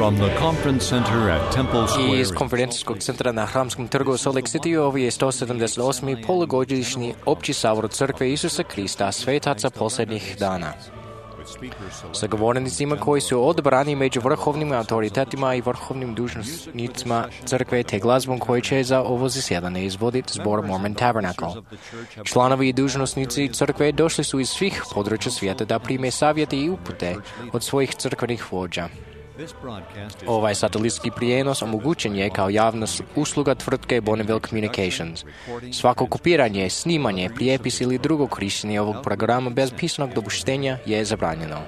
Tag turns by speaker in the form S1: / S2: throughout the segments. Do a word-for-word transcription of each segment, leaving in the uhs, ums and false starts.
S1: From the conference center at Temple Square.
S2: Iz konferencijskog centra na Hramskom trgu u Salt Lake City ovo je sto sedamdeset osmi polugodišnji opći sabor Crkve Isusa Krista, svetaca posljednjih dana. Sa govornicima koji su odabrani među vrhovnim autoritetima i vrhovnim dužnosnicima Crkve te glazbom koji će za ovo zasjedanje izvoditi zbor Mormon Tabernacle. Članovi i dužnosnici Crkve došli su iz svih područja svijeta da prime savjete i upute od svojih crkvenih vođa. Ovaj satelitski prijenos omogućen je kao javna usluga tvrtke Bonneville Communications. Svako kopiranje, snimanje, prijepis ili drugo korištenje ovog programa bez pisanog dopuštenja je zabranjeno.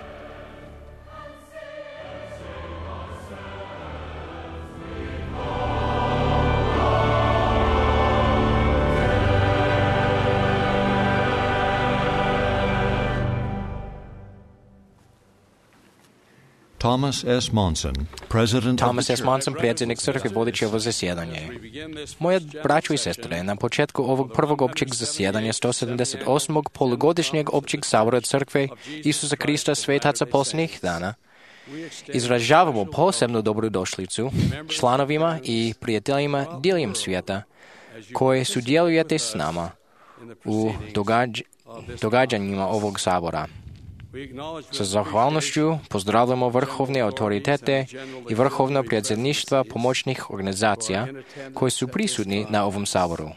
S1: Thomas S. Monson, president
S2: Thomas S. Monson, predsjednik crkve, vodeći ovo zasjedanje. Moje braćo i sestre, na početku ovog prvog općeg zasjedanja sto sedamdeset osmog polugodišnjeg općeg sabora Crkve Isusa Krista, svetaca posljednjih dana, izražavamo posebnu dobrodošlicu članovima i prijateljima diljem svijeta koji sudjelujete s nama u događ- događanjima ovog sabora. Sa zahvalnošću pozdravljamo vrhovne autoritete i vrhovno predsjedništva pomoćnih organizacija koji su prisutni na ovom saboru.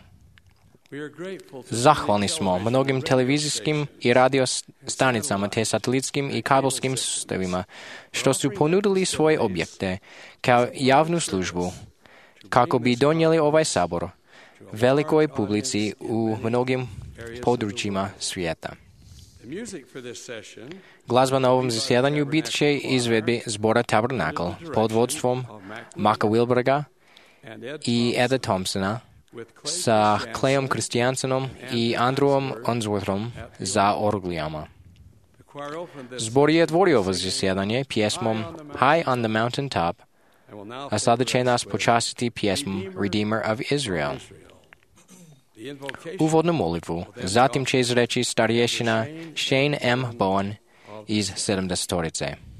S2: Zahvalni smo mnogim televizijskim i radio stanicama te satelitskim i kabelskim sustavima što su ponudili svoje objekte kao javnu službu kako bi donijeli ovaj sabor velikoj publici u mnogim područjima svijeta. Glazba na ovom zasjedanju bit će izvedbi zbora Tabernacle pod vodstvom Maka Wilberga i Eda Thompsona sa Clayom Christiansenom i Andrewom Unsworthom za orglijama. Zbor je otvorio ovo zasjedanje pjesmom High on the Mountain Top, a sada će nas počastiti pjesmom Redeemer of Israel. Uvodnu molitvu zatim će izreći starješina Shane M. Bowen iz sedamdesetorice.
S3: Israel.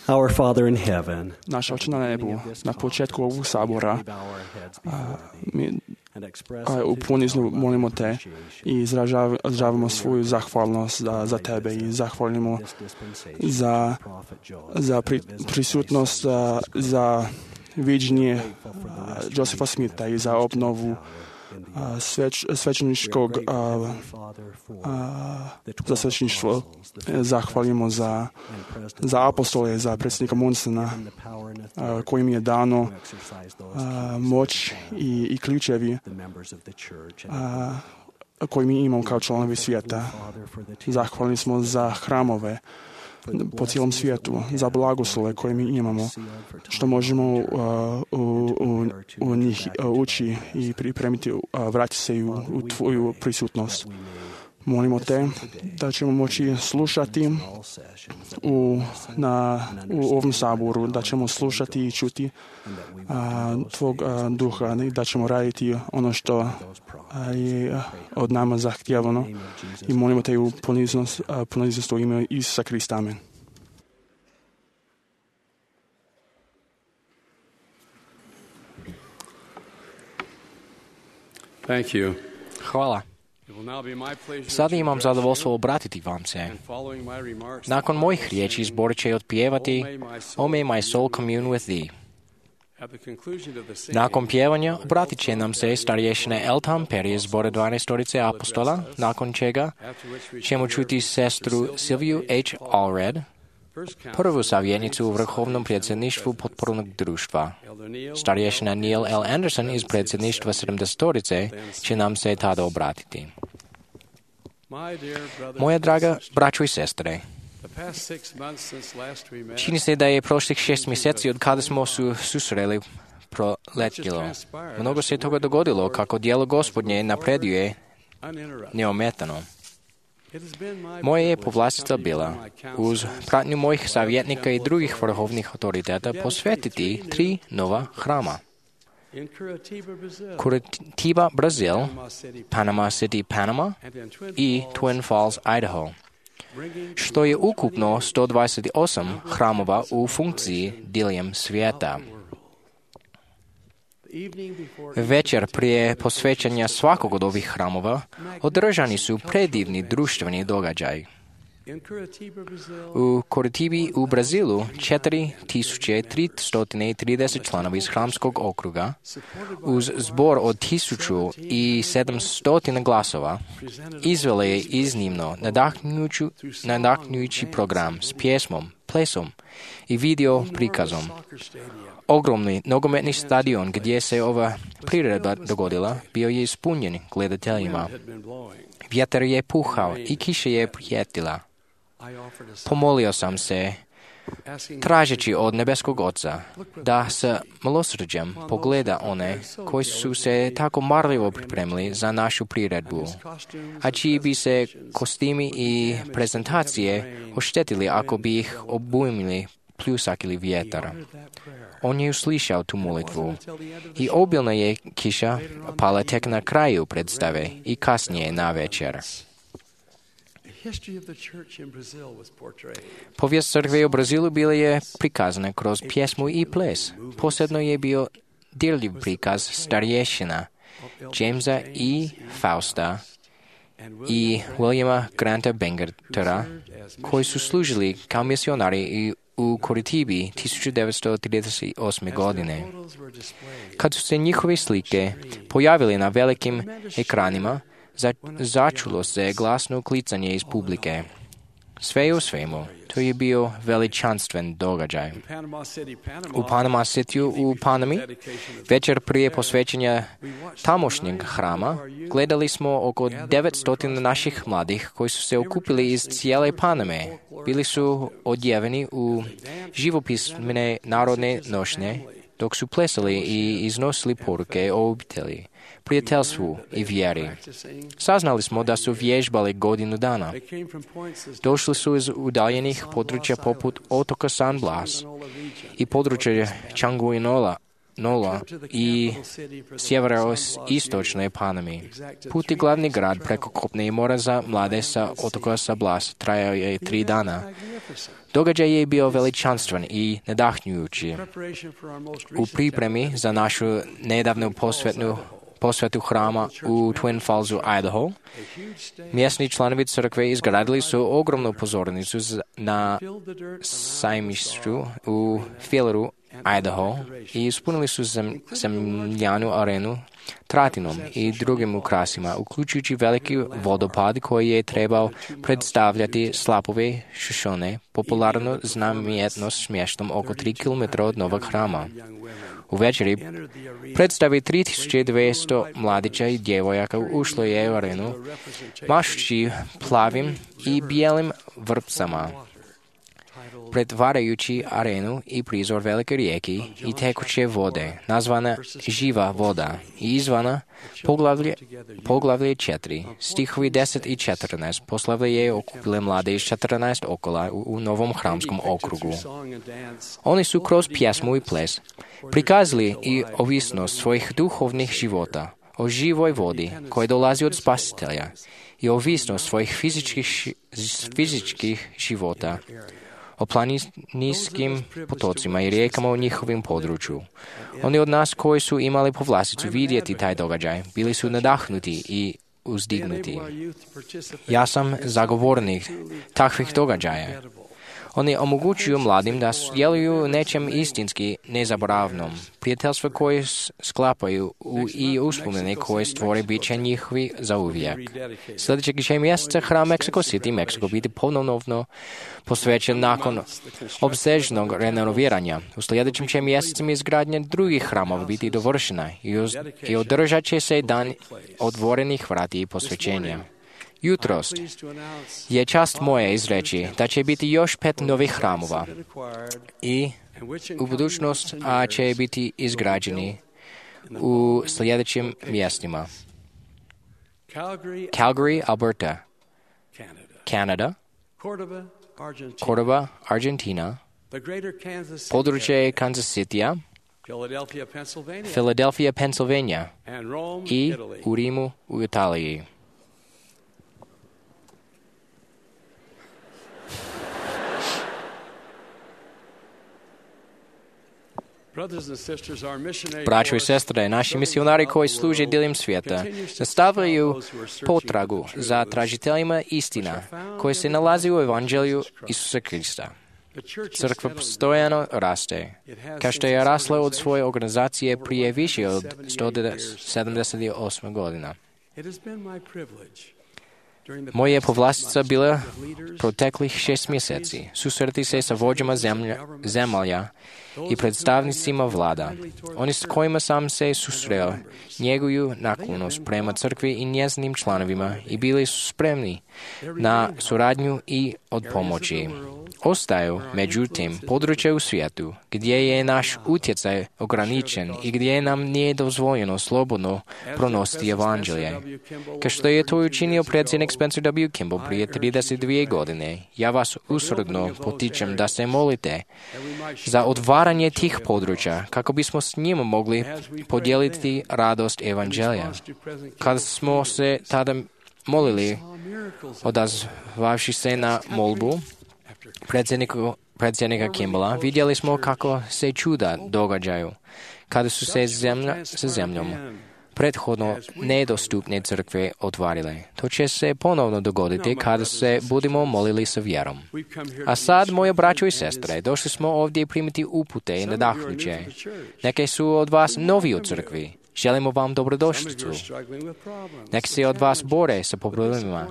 S3: Our Father in heaven,
S4: Naš Oče na nebu, na početku ovog sabora mi a, u poniznu molimo Te i izražavamo svoju zahvalnost za, za Tebe i zahvalimo za, za pri, prisutnost, za, za viđenje Josefa Smitha i za obnovu Sveć, svećeničkog a, a, za svećeništvo. Zahvalimo za, za apostole, za predsjednika Monsona, a, kojim je dano a, moć i, i ključevi a, koji mi imamo kao članovi svijeta. Zahvalni smo za hramove po cijelom svijetu, za blagoslove koje mi imamo, što možemo uh, u, u, u njih uh, ući i pripremiti, uh, vratiti se u, u Tvoju prisutnost. Molimo Te da ćemo moći slušati u, na, u ovom saboru, da ćemo slušati i čuti a, Tvog a, duha i da ćemo raditi ono što a, je od nama zahtjevano. I molimo Te u poniznost, a, poniznost u ime Isusa Krista. Amen.
S5: Thank you.
S2: Hvala. Sada imam zadovoljstvo obratiti vam se. Nakon mojih riječi zbor će otpjevati O may my soul commune with thee. Nakon pjevanja obratit će nam se starješine Eltham Perry iz zbora dvanaestorice apostola, nakon čega ćemo čuti sestru Sylviju H. Allred, prvu savjetnicu u vrhovnom predsjedništvu potpornog društva. Starješina Neil L. Anderson iz predsjedništva sedamdesetorice će nam se tada obratiti. Moja draga braćo i sestre, čini se da je prošlih šest mjeseci od kada smo su susreli proletjelo. Mnogo se toga dogodilo kako djelo Gospodnje napreduje neometano. Moje je povlastica bila, uz pratnju mojih savjetnika i drugih vrhovnih autoriteta, posvetiti tri nova hrama. Curitiba, Brazil, Panama City, Panama i Twin Falls, Idaho, što je ukupno sto dvadeset osam hramova u funkciji diljem svijeta. Večer prije posvećanja svakog od ovih hramova održani su predivni društveni događaj. U Curitibi u Brazilu četiri tisuće tristo trideset članovi iz hramskog okruga uz zbor od tisuću sedamsto glasova izvele je iznimno nadahnjujući program s pjesmom, plesom i video prikazom. Ogromni nogometni stadion gdje se ova priredba dogodila bio je ispunjen gledateljima. Vjetar je puhao i kiša je prijetila. Pomolio sam se, tražeći od nebeskog Oca da s milosrđem pogleda one koji su se tako marljivo pripremili za našu priredbu, a čiji bi se kostimi i prezentacije oštetili ako bi ih obujmili pljusak ili vjetar. On je uslišao tu molitvu i obilna je kiša pala tek na kraju predstave i kasnije na večer. Povijest crkve u Brazilu bila je prikazana kroz pjesmu i ples. Posebno je bio dirljiv prikaz starješina Jamesa i Fausta i Williama Granta Bangertera, koji su služili kao misionari i u Curitibi tisuću devetsto trideset osme. godine. Kad su se njihove slike pojavili na velikim ekranima, za, začulo se glasno klicanje iz publike. Sve u svemu, to je bio veličanstven događaj. U Panama City u Panami, večer prije posvećenja tamošnjeg hrama, gledali smo oko devetsto naših mladih koji su se okupili iz cijele Paname. Bili su odjeveni u živopisne narodne nošnje, dok su plesali i iznosili poruke o obitelji, prijateljstvu i vjeri. Saznali smo da su vježbali godinu dana. Došli su iz udaljenih područja poput otoka San Blas i područja Changuinola Нола и северо-источной Панами. Путь и главный град преко Kopne море за младе са отока са блас, трае три дана. Догаджай е бил величанствен и надахнюючи. У припреми за нашу недавну посветну посвету храма у Twin Falls, Айдахо, местни членове църкви изградили са огромну позорницу на саймищу у Филеру, Айдахо, и изпълнили са зем, земляну арену Тратином и другим украсима, уключуючи велики водопад, koji je trebao predstavljati slapovi Šušone, popularno znamenito s mjestom oko tri kilometra od novog hrama. U večeri predstavi tri tisuće dvjesto mladića i djevojaka ušlo je u arenu, mašući plavim i bijelim vrpcama, pretvarajući arenu i prizor velike rijeke i tekuće vode, nazvana živa voda, i izvana poglavlje, poglavlje četiri, stihovi deset i četrnaest, poslavlje je okupile mlade iz četrnaest okola u, u novom hramskom okrugu. Oni su kroz pjesmu i ples prikazali i ovisnost svojih duhovnih života o živoj vodi koja dolazi od Spasitelja i ovisnost svojih fizičkih, fizičkih života o planinskim potocima i rijekama u njihovim području. Oni od nas koji su imali povlasticu vidjeti taj događaj, bili su nadahnuti i uzdignuti. Ja sam zagovornik takvih događaja. Oni omogućuju mladim da sudjeluju nečem istinski nezaboravnom, prijateljstva koje sklapaju u, i uspomene koje stvore biće njihovi za uvijek. Sljedećeg će mjeseca hram Mexico City, Mexico biti ponovno posvećen nakon opsežnog renoviranja. U sljedećem će mjesecima izgradnja drugih hramova biti dovršena i, uz, i održat će se dan otvorenih vrati i posvećenja. Jutros je čast moja izreći da će biti još pet novih hramova i u budućnost a će biti izgrađeni u sljedećim mjestima. Calgary, Alberta, Canada, Cordoba, Argentina, područje Kansas City, Philadelphia, Pennsylvania i u Rimu u Italiji. Braćo i sestre, naši misionari koji služe diljem svijeta nastavljaju potragu za tražiteljima istina koji se nalazi u Evanđelju Isusa Krista. Crkva postojano raste, kao što je rasla od svoje organizacije prije više od sto sedamdeset osme godina. Moja je povlastica bila proteklih šest mjeseci susreti se sa vođama zemlja, zemalja i predstavnicima vlada. Oni s kojima sam se susreo njeguju naklonost prema crkvi i njezinim članovima i bili su spremni na suradnju i od pomoći. Ostaju, međutim, područja u svijetu gdje je naš utjecaj ograničen i gdje nam nije dozvoljeno slobodno pronositi evanđelje. Kao što je to učinio predsjednik Spencer W. Kimball prije trideset dvije godine, ja vas usrdno potičem da se molite za otvaranje tih područja kako bismo s njima mogli podijeliti radost evanđelja. Kad smo se tada molili, odazvavši se na molbu predsjednika Kimballa, vidjeli smo kako se čuda događaju kada su se zemlja sa zemljom prethodno nedostupne crkve otvarile. To će se ponovno dogoditi kada se budemo molili sa vjerom. A sad, moje braćo i sestre, došli smo ovdje primiti upute i nadahnuće. Neke su od vas novi u crkvi. Želimo vam dobrodošlicu. Neki se od vas bore sa problemima,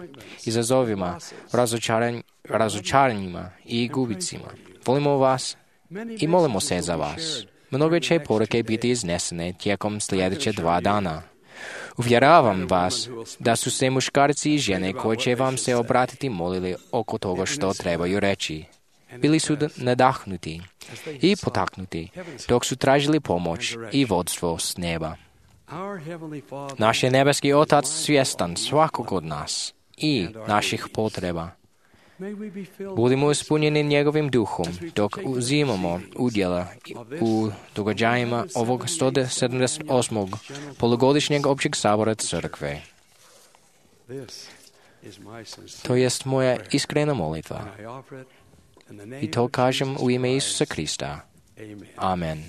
S2: izazovima, razočaran, razočaranjima i gubicima. Volimo vas i molimo se za vas. Mnoge će poruke biti iznesene tijekom sljedeće dva dana. Uvjeravam vas da su se muškarci i žene koji će vam se obratiti molili oko toga što trebaju reći. Bili su nadahnuti i potaknuti dok su tražili pomoć i vodstvo s neba. Naš je nebeski Otac svjestan svakog od nas i naših potreba. Budimo ispunjeni njegovim duhom dok uzimamo udjela u događajima ovog sto sedamdeset osmog polugodišnjeg općeg sabora crkve. To jest moja iskrena molitva. I to kažem u ime Isusa Krista. Amen.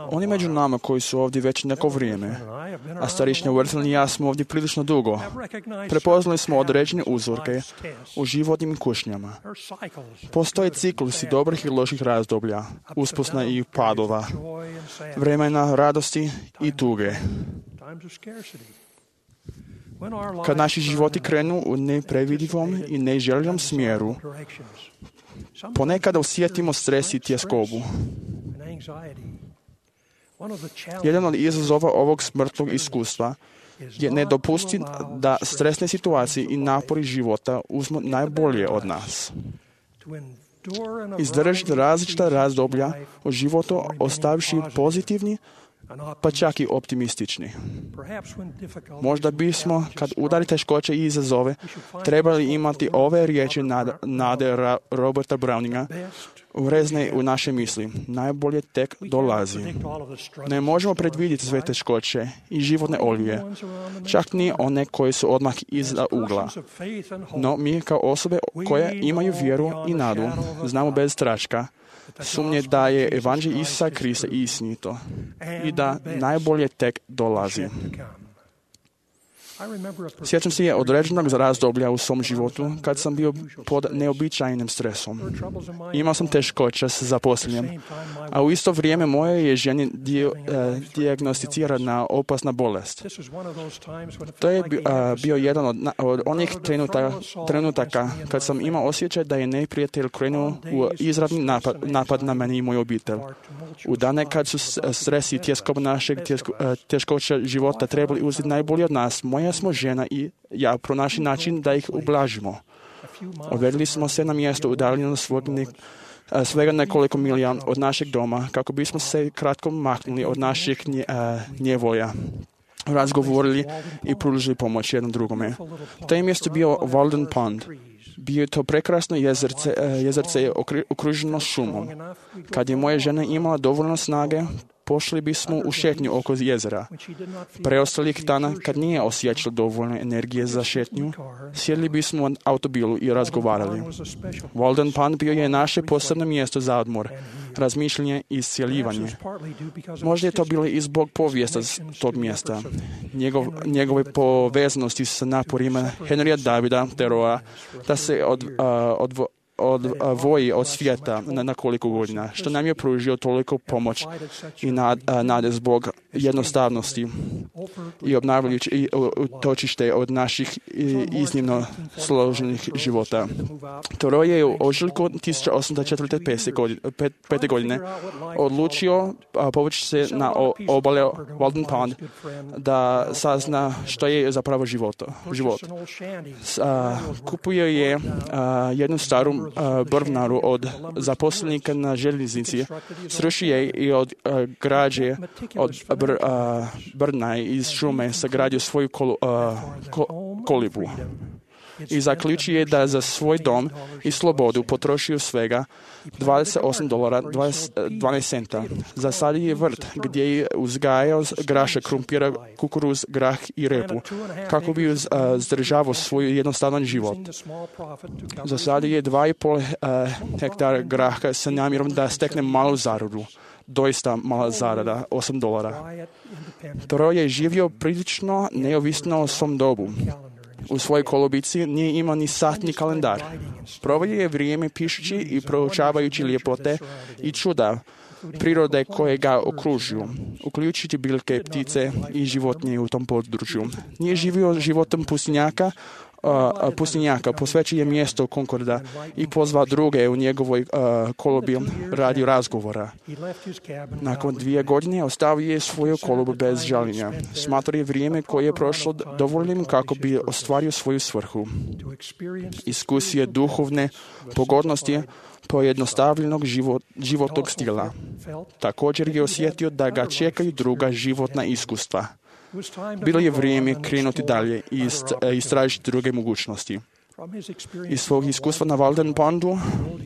S4: Oni među nama koji su ovdje već neko vrijeme, a starišnja Wurzeln i ja smo ovdje prilično dugo, prepoznali smo određene uzorke u životnim kušnjama. Postoje ciklusi dobrih i loših razdoblja, uspusna i padova, vremena radosti i tuge. Kad naši životi krenu u neprevidivom i neželjenom smjeru, ponekada osjetimo stres i tjeskobu. Jedan od izazova ovog smrtnog iskustva je ne dopustiti da stresne situacije i napori života uzmu najbolje od nas. Izdržati različita razdoblja u životu ostavivši pozitivni, pa čak i optimistični. Možda bismo, kad udari teškoće i izazove, trebali imati ove riječi nade Roberta Browninga urezne u naše misli. Najbolje tek dolazi. Ne možemo predvidjeti sve teškoće i životne oluje, čak ni one koje su odmah iza ugla. No mi kao osobe koje imaju vjeru i nadu, znamo bez straška, sumnje da je evanđelje Isusa Krista istinito i da najbolje tek dolazi. Sjećam se je određenog razdoblja u svom životu kad sam bio pod neobičajnim stresom. Imao sam teškoće s zaposlenjem, a u isto vrijeme moje je ženi dio, eh, dijagnosticirana opasna bolest. To je bio jedan od, od onih trenuta, trenutaka kad sam imao osjećaj da je neprijatelj krenuo u izravni napad, napad na meni i moju obitelj. U dane kad su stres i tjeskob našeg tjesko, teškoća života trebali uzeti najbolje od nas, moja smo žena i ja pronašli način da ih ublažimo. Odvedli smo se na mjesto udaljeno svog ne, svega nekoliko milija od našeg doma kako bismo se kratko maknuli od našeg nje, njevolja. Razgovorili i pružili pomoć jednom drugome. To je mjesto bio Walden Pond. Bio je to prekrasno jezerce, jezerce je okruženo šumom. Kad je moja žena imala dovoljno snage, pošli bismo u šetnju oko jezera. Preostalih dana, kad nije osjećala dovoljno energije za šetnju, sjedli bismo u automobilu i razgovarali. Walden Pond bio je naše posebno mjesto za odmor, razmišljanje i iscjeljivanje. Možda je to bilo i zbog povijesta tog mjesta, Njegov, njegove povezanosti sa naporima Henrya Davida Thoreaua da se od, uh, odvo, odvoji od svijeta na nekoliko godina, što nam je pružio toliko pomoć i nad, nade zbog jednostavnosti i obnavljajući i utočište od naših iznimno složenih života. Thoreau je u ožujku tisuća osamsto četrdeset pete godine odlučio povući se na obale Walden Pond da sazna što je zapravo život. život. Kupuje je jednu staru brvnaru od zaposlenika na željeznici, sruši je i od uh, građe od br, uh, brna iz šume sagradio svoju kol, uh, ko, kolibu. I zaključuje da za svoj dom i slobodu potrošio svega dvadeset osam dolara dvanaest centa. Zasadio je vrt gdje je uzgajao graša, krumpira, kukuruz, grah i repu kako bi uz, uh, zdržavao svoj jednostavan život. Zasadio je dva i pol uh, hektara graha sa namjerom da stekne malu zaradu. Doista mala zarada, osam dolara. Thoreau je živio prilično neovisno o svom dobu. U svojoj kolobici nije imao ni sat ni kalendar. Proveo je vrijeme pišući i proučavajući ljepote i čuda prirode koje ga okružuju, uključujući biljke, ptice i životinje u tom području. Nije živio životom pustinjaka, Uh, pustinjaka, posvećuje mjesto Concorda i pozvao druge u njegovoj uh, kolobi radi razgovora. Nakon dvije godine ostavio je svoju kolobu bez žaljenja. Smatrao je vrijeme koje je prošlo dovoljnim kako bi ostvario svoju svrhu. Iskusio je duhovne pogodnosti pojednostavljenog život, životnog stila. Također je osjetio da ga čekaju druga životna iskustva. Bilo je vrijeme krenuti dalje i istražiti druge mogućnosti. Iz svog iskustva na Walden Pondu,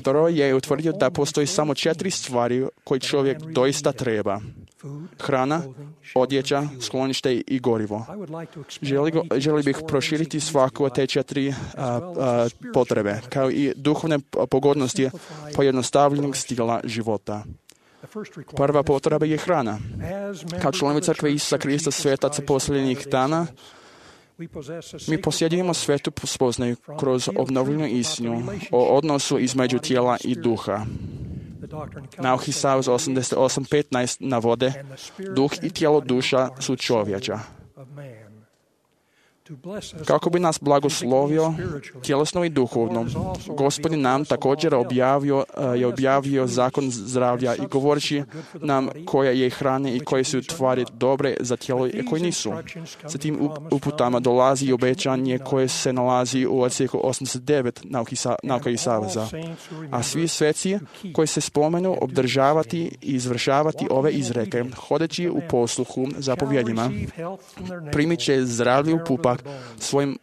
S4: Thoreau je utvrdio da postoji samo četiri stvari koje čovjek doista treba. Hrana, odjeća, sklonište i gorivo. Želi, go, želi bih proširiti svaku od te četiri a, a, potrebe, kao i duhovne pogodnosti pojednostavljenog stila života. Prva potreba je hrana. Kao članovi crkve Isusa Krista svetaca posljednjih dana, mi posjedujemo svetu spoznaju kroz obnovljenu istinu o odnosu između tijela i duha. Naučni savez osamdeset osam petnaest navode, duh i tijelo duša su čovječa. Kako bi nas blagoslovio tjelesno i duhovno, Gospodin nam također objavio, je objavio zakon zdravlja i govoreći nam koja je hrane i koje su tvari dobre za tijelo i koje nisu. Sa tim uputama dolazi i obećanje koje se nalazi u odsjeku osamdeset devet Nauka i saveza. A svi sveci koji se spomenu obdržavati i izvršavati ove izreke, hodeći u posluhu zapovjedima, primit će zdravlje u pupak svoj,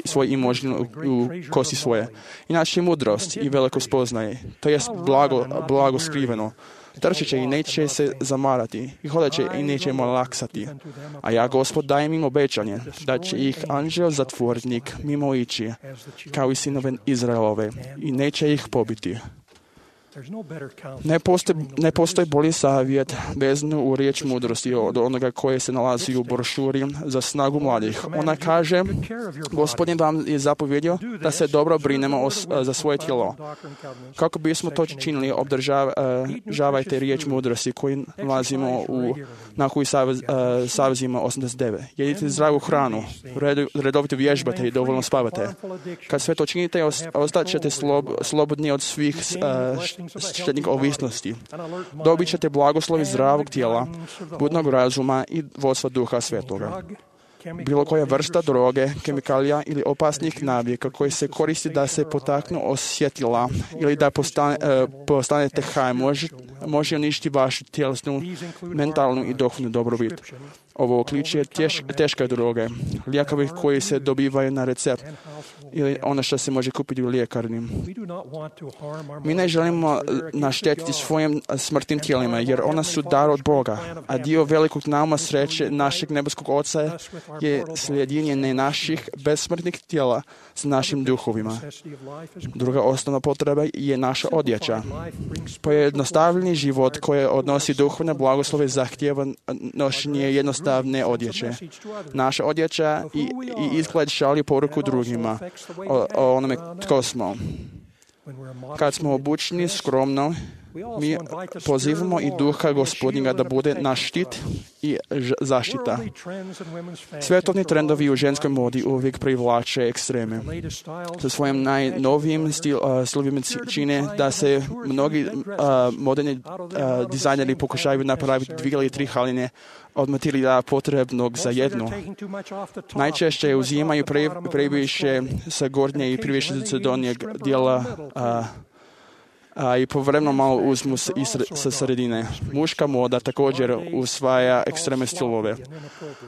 S4: svoj imožin u, u kosi svoje. Inače mudrost i veliko spoznaje, to jest blago, blago skriveno. Trčit će i neće se zamarati, i hodat će i neće malaksati. A ja, Gospod, dajem im obećanje, da će ih anđeo zatvornik mimo ići, kao i sinove Izraelove, i neće ih pobiti. Ne postoji, ne postoji bolji savjet vezan u riječ mudrosti od onoga koje se nalazi u brošuri za snagu mladih. Ona kaže, Gospodin vam je zapovjedio da se dobro brinemo o, za svoje tijelo. Kako bismo to činili, obdržavajte riječ mudrosti koju nalazimo u nahuj savezima osamdeset devet. Jedite zdravu hranu, redovito vježbate i dovoljno spavate. Kad sve to činite, ostat ćete slob, slobodni od svih uh, štetnih ovisnosti. Dobit ćete blagoslovi zdravog tijela, budnog razuma i vodstva Duha Svetoga. Bilo koja vrsta droge, kemikalija ili opasnih navika koji se koristi da se potaknu osjetila ili da postane, uh, postanete haj, može, može uništiti vašu tjelesnu, mentalnu i duhovnu dobrobit. Ovo uključuje teš, teške droge, lijekovi koji se dobivaju na recept ili ono što se može kupiti u ljekarni. Mi ne želimo naštetiti svojim smrtnim tijelima, jer ona su dar od Boga, a dio velikog nauma sreće našeg nebeskog Oca je slijedjenje naših besmrtnih tijela s našim duhovima. Druga osnovna potreba je naša odjeća. Pojednostavljeni život koji odnosi duhovne blagoslove zahtijeva nošenje jednostavne odjeće. Naša odjeća i, i izgled šalju poruku drugima o, o onome tko smo. Kad smo obučeni skromno, mi pozivamo i Duha Gospodnjega da bude naš štit i zaštita. Svetovni trendovi u ženskoj modi uvijek privlače ekstreme. Sa svojim najnovijim stil, uh, stilovima čine da se mnogi uh, moderni uh, dizajneri pokušaju napraviti dvije ili tri haline od materijala potrebnog za jednu. Najčešće uzimaju pre, previše sa gornje i previše sa donjeg dijela uh, a i povremeno malo uzmu sa sredine. Muška moda također usvaja ekstremne stilove.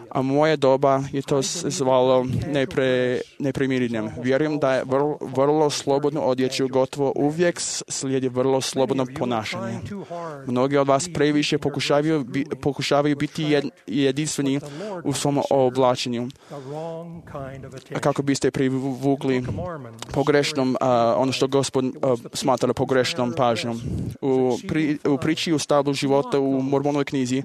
S4: A moje doba je to zvalo nepre, neprimirjenjem. Vjerujem da je vrlo, vrlo slobodno odjeću gotovo uvijek slijedi vrlo slobodno ponašanje. Mnogi od vas previše pokušavaju, bi, pokušavaju biti jed, jedinstveni u svom oblačenju. A kako biste privukli pogrešnom, a, ono što Gospod a, smatra pogrešnom pažnjom. U, pri, u priči u stablu života u Mormonovoj knjizi,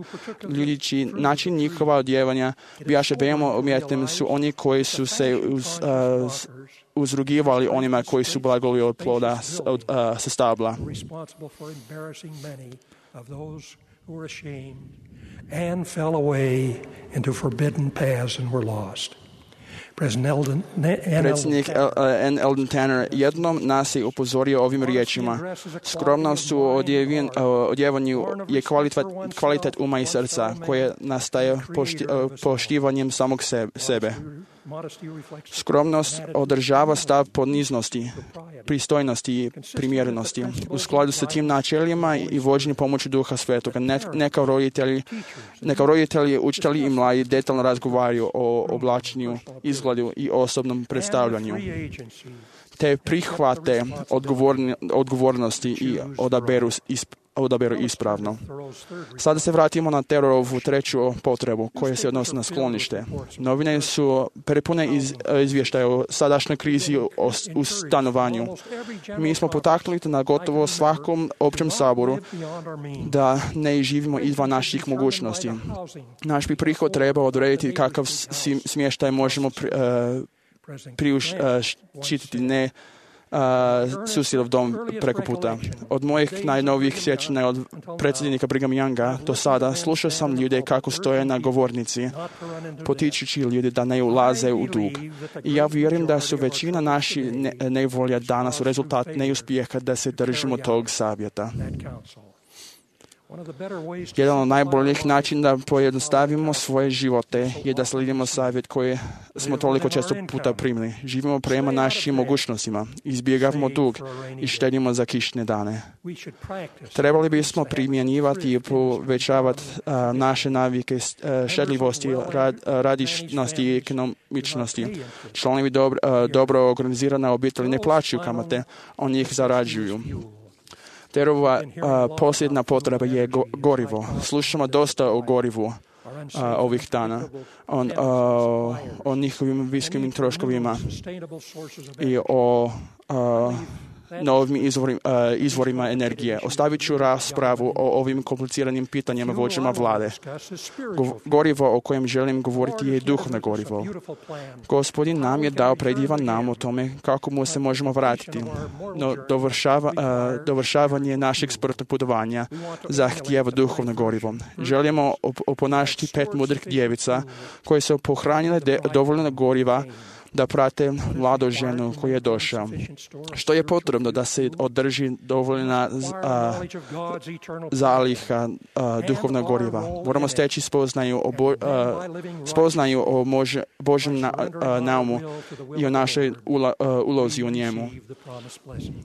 S4: ljudići način njihova odjevanja bijaše veoma umjetnim su oni koji su se uz, uh, uzrugivali onima koji su blagoli od ploda s, od, uh, sa stabla.
S3: And fell away into forbidden paths and were lost.
S4: Predsjednik N. Eldon Tanner jednom nas je upozorio ovim riječima. Skromnost u odjevanju je kvalitet, kvalitet uma i srca koje nastaje pošti, poštivanjem samog sebe. Skromnost održava stav poniznosti, pristojnosti i primjerenosti. U skladu sa tim načelima i vođenje pomoću Duha Svetoga, ne, neka roditelji, neka roditelji, učitelji i mladi detaljno razgovaraju o oblačenju, izgledu i osobnom predstavljanju, te prihvate odgovorni, odgovornosti i odaberu isp, odaberu ispravno. Sada se vratimo na Terorovu treću potrebu koja se odnosi na sklonište. Novine su prepune iz, izvještaja o sadašnjoj krizi o, u stanovanju. Mi smo potaknuli na gotovo svakom općem saboru da ne živimo izvan naših mogućnosti. Naš bi prihod treba odrediti kakav smještaj možemo pri, uh, priuštiti, ne Uh, susjedov dom preko puta. Od mojih najnovijih sjećanja od predsjednika Brigham Younga do sada slušao sam ljude kako stoje na govornici, potičući ljude da ne ulaze u dug. I ja vjerujem da su većina naših ne, nevolja danas rezultat neuspjeha da se držimo tog savjeta. Jedan od najboljih načina da pojednostavimo svoje živote je da slijedimo savjet koji smo toliko često puta primili. Živimo prema našim mogućnostima, izbjegavamo dug i štedimo za kišne dane. Trebali bismo primjenjivati i povećavati uh, naše navike uh, štedljivosti, rad, uh, radišnosti i ekonomičnosti. Članovi dobro, uh, dobro organizirane obitelji ne plaćaju kamate, oni ih zarađuju. Terova uh, posljedna potreba je go, gorivo. Slušamo dosta o gorivu uh, ovih dana, on, uh, o njihovim visokim troškovima i o uh, novim izvorima, izvorima energije. Ostavit ću raspravu o ovim kompliciranim pitanjima vođama vlade. Gorivo o kojem želim govoriti je duhovno gorivo. Gospodin nam je dao predivan nam o tome kako mu se možemo vratiti. No dovršava, dovršavanje našeg smrtnog putovanja zahtijeva duhovno gorivo. Želimo oponašiti pet mudrih djevica koje su pohranile de, dovoljno goriva da prate mladu ženu koju je došao. Što je potrebno da se održi dovoljna a, zaliha a, duhovnog goriva? Moramo steći spoznaju o, bo, a, spoznaju o mož, Božjem na, a, naumu i o našoj ula, a, ulozi u njemu.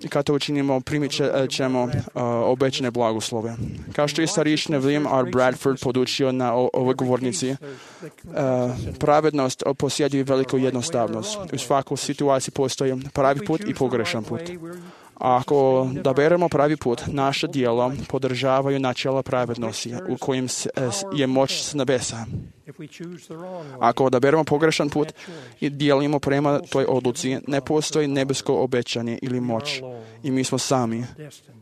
S4: I kad to učinimo, primit ćemo a, obećane blagoslove. Kao što je starišina William R. Bradford podučio na o, ovoj govornici, a, pravednost posjeduje veliku jednostavnost. U svakoj situaciji postoji pravi put i pogrešan put. A ako odaberemo pravi put, naše djelo podržavaju načela pravednosti u kojem je moć s nebesa. Ako odaberemo pogrešan put i dijelimo prema toj odluci, ne postoji nebesko obećanje ili moć. I mi smo sami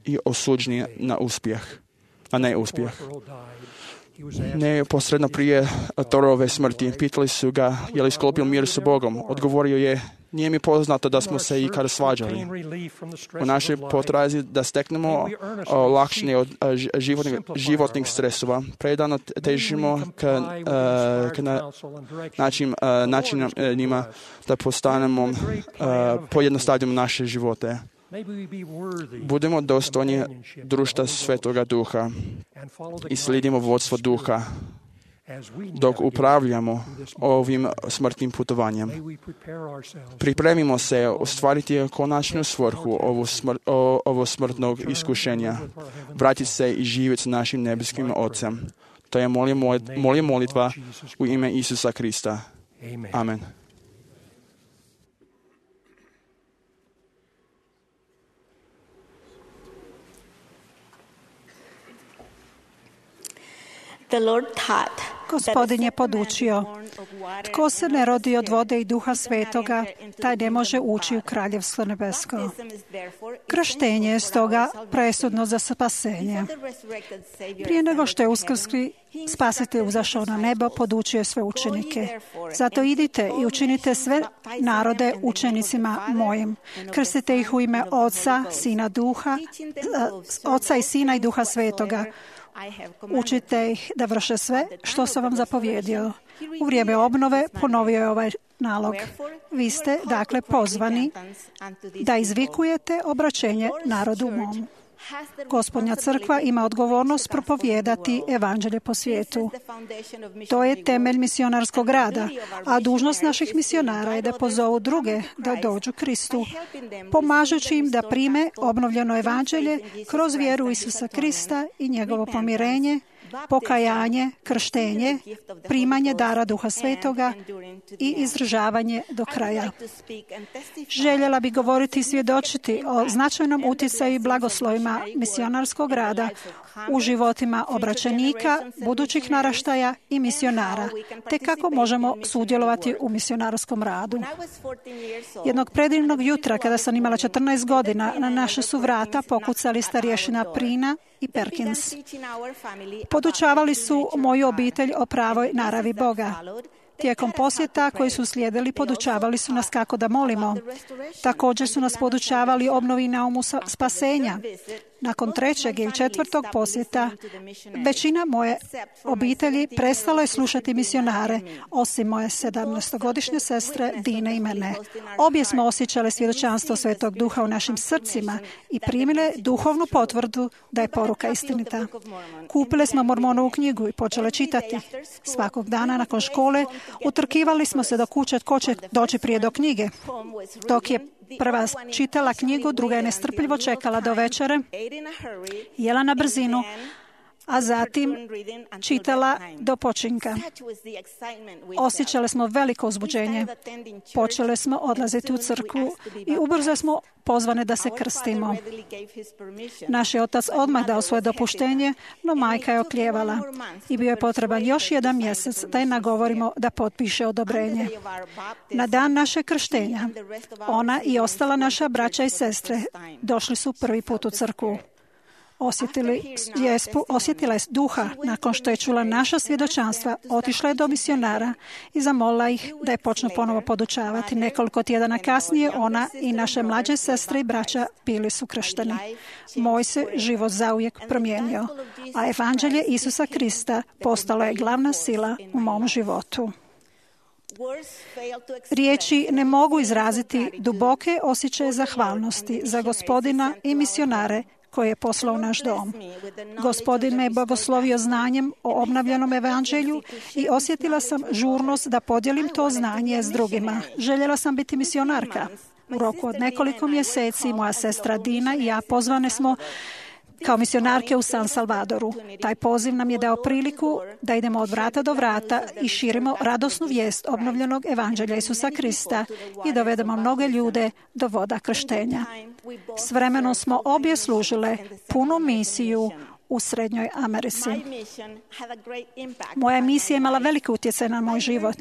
S4: i osuđeni na uspjeh, a ne uspjeh. Neposredno prije Thorove smrti pitali su ga je li sklopio mir sa Bogom. Odgovorio je, nije mi poznato da smo se ikada svađali. U našoj potrazi da steknemo olakšanje od životnih, životnih stresova, predano težimo k, k na, način, načinima da postanemo, pojednostavimo naše živote. Budemo dostojni društva Svetoga Duha i slijedimo vodstvo Duha dok upravljamo ovim smrtnim putovanjem. Pripremimo se ostvariti konačnu svrhu ovo, smr, ovo smrtnog iskušenja, vratiti se i živjeti s našim nebeskim Ocem. To je moja molitva u ime Isusa Krista. Amen.
S5: Gospodin je podučio, tko se ne rodi od vode i Duha Svetoga, taj ne može ući u Kraljevstvo nebesko. Krštenje je stoga presudno za spasenje. Prije nego što je uskrsli Spasitelj uzašao na nebo, podučio sve učenike. Zato idite i učinite sve narode učenicima mojim. Krstite ih u ime Oca, Sina, Duha, Oca i Sina i Duha Svetoga. Učite ih da vrše sve što sam vam zapovjedio. U vrijeme obnove ponovio je ovaj nalog. Vi ste, dakle, pozvani da izvikujete obraćenje narodu mom. Gospodnja crkva ima odgovornost propovijedati evanđelje po svijetu. To je temelj misionarskog rada, a dužnost naših misionara je da pozovu druge da dođu Kristu, pomažući im da prime obnovljeno evanđelje kroz vjeru u Isusa Krista i njegovo pomirenje, pokajanje, krštenje, primanje dara Duha Svetoga i izdržavanje do kraja. Željela bi govoriti i svjedočiti o značajnom utjecaju i blagoslovima misionarskog rada u životima obraćenika, budućih naraštaja i misionara, te kako možemo sudjelovati u misionarskom radu. Jednog predivnog jutra, kada sam imala četrnaest godina, na naše su vrata pokucali starješina Prina i Perkins. Podučavali su moju obitelj o pravoj naravi Boga. Tijekom posjeta koji su slijedili, podučavali su nas kako da molimo. Također su nas podučavali obnovi naumu spasenja. Nakon trećeg ili četvrtog posjeta, većina moje obitelji prestalo je slušati misionare, osim moje sedamnaestogodišnje sestre Dine i mene. Obje smo osjećale svjedočanstvo Svetog Duha u našim srcima i primile duhovnu potvrdu da je poruka istinita. Kupile smo Mormonovu knjigu i počele čitati. Svakog dana nakon škole utrkivali smo se do kuće tko će doći prije do knjige. Dok je prva čitala knjigu, druga je nestrpljivo čekala do večere, jela na brzinu, a zatim čitala do počinka. Osjećali smo veliko uzbuđenje. Počeli smo odlaziti u crkvu i ubrzo smo pozvane da se krstimo. Naš je otac odmah dao svoje dopuštenje, no majka je okljevala i bio je potreban još jedan mjesec da je nagovorimo da potpiše odobrenje. Na dan naše krštenja, ona i ostala naša braća i sestre došli su prvi put u crkvu. Osjetili je, osjetila je duha nakon što je čula naša svjedočanstva, otišla je do misionara i zamolila ih da je počnu ponovo podučavati. Nekoliko tjedana kasnije ona i naše mlađe sestre i braća bili su kršteni. Moj se život zauvijek promijenio, a evanđelje Isusa Krista postalo je glavna sila u mom životu. Riječi ne mogu izraziti duboke osjećaje zahvalnosti za Gospodina i misionare koji je poslao u naš dom. Gospodin me je blagoslovio znanjem o obnavljenom evanđelju i osjetila sam žurnost da podijelim to znanje s drugima. Željela sam biti misionarka. U roku od nekoliko mjeseci moja sestra Dina i ja pozvane smo kao misionarke u San Salvadoru. Taj poziv nam je dao priliku da idemo od vrata do vrata i širimo radosnu vijest obnovljenog evanđelja Isusa Krista i dovedemo mnoge ljude do voda krštenja. S vremenom smo obje služile punu misiju u Srednjoj Americi. Moja misija je imala veliki utjecaj na moj život.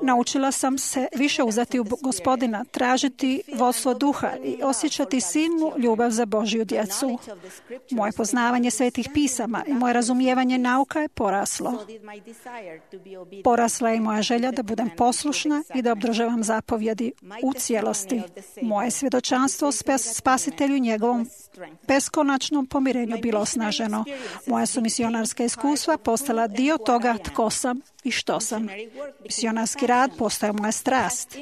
S5: Naučila sam se više uzeti u Gospodina, tražiti vodstvo duha i osjećati silnu ljubav za Božju djecu. Moje poznavanje svetih pisama i moje razumijevanje nauka je poraslo. Porasla je i moja želja da budem poslušna i da obdržavam zapovjedi u cijelosti. Moje svjedočanstvo o Spasitelju i njegovom beskonačnom pomirenju bilo osnaženo. Moja su misionarska iskustva postala dio toga tko sam i što sam. Misionarski rad postao moja strast.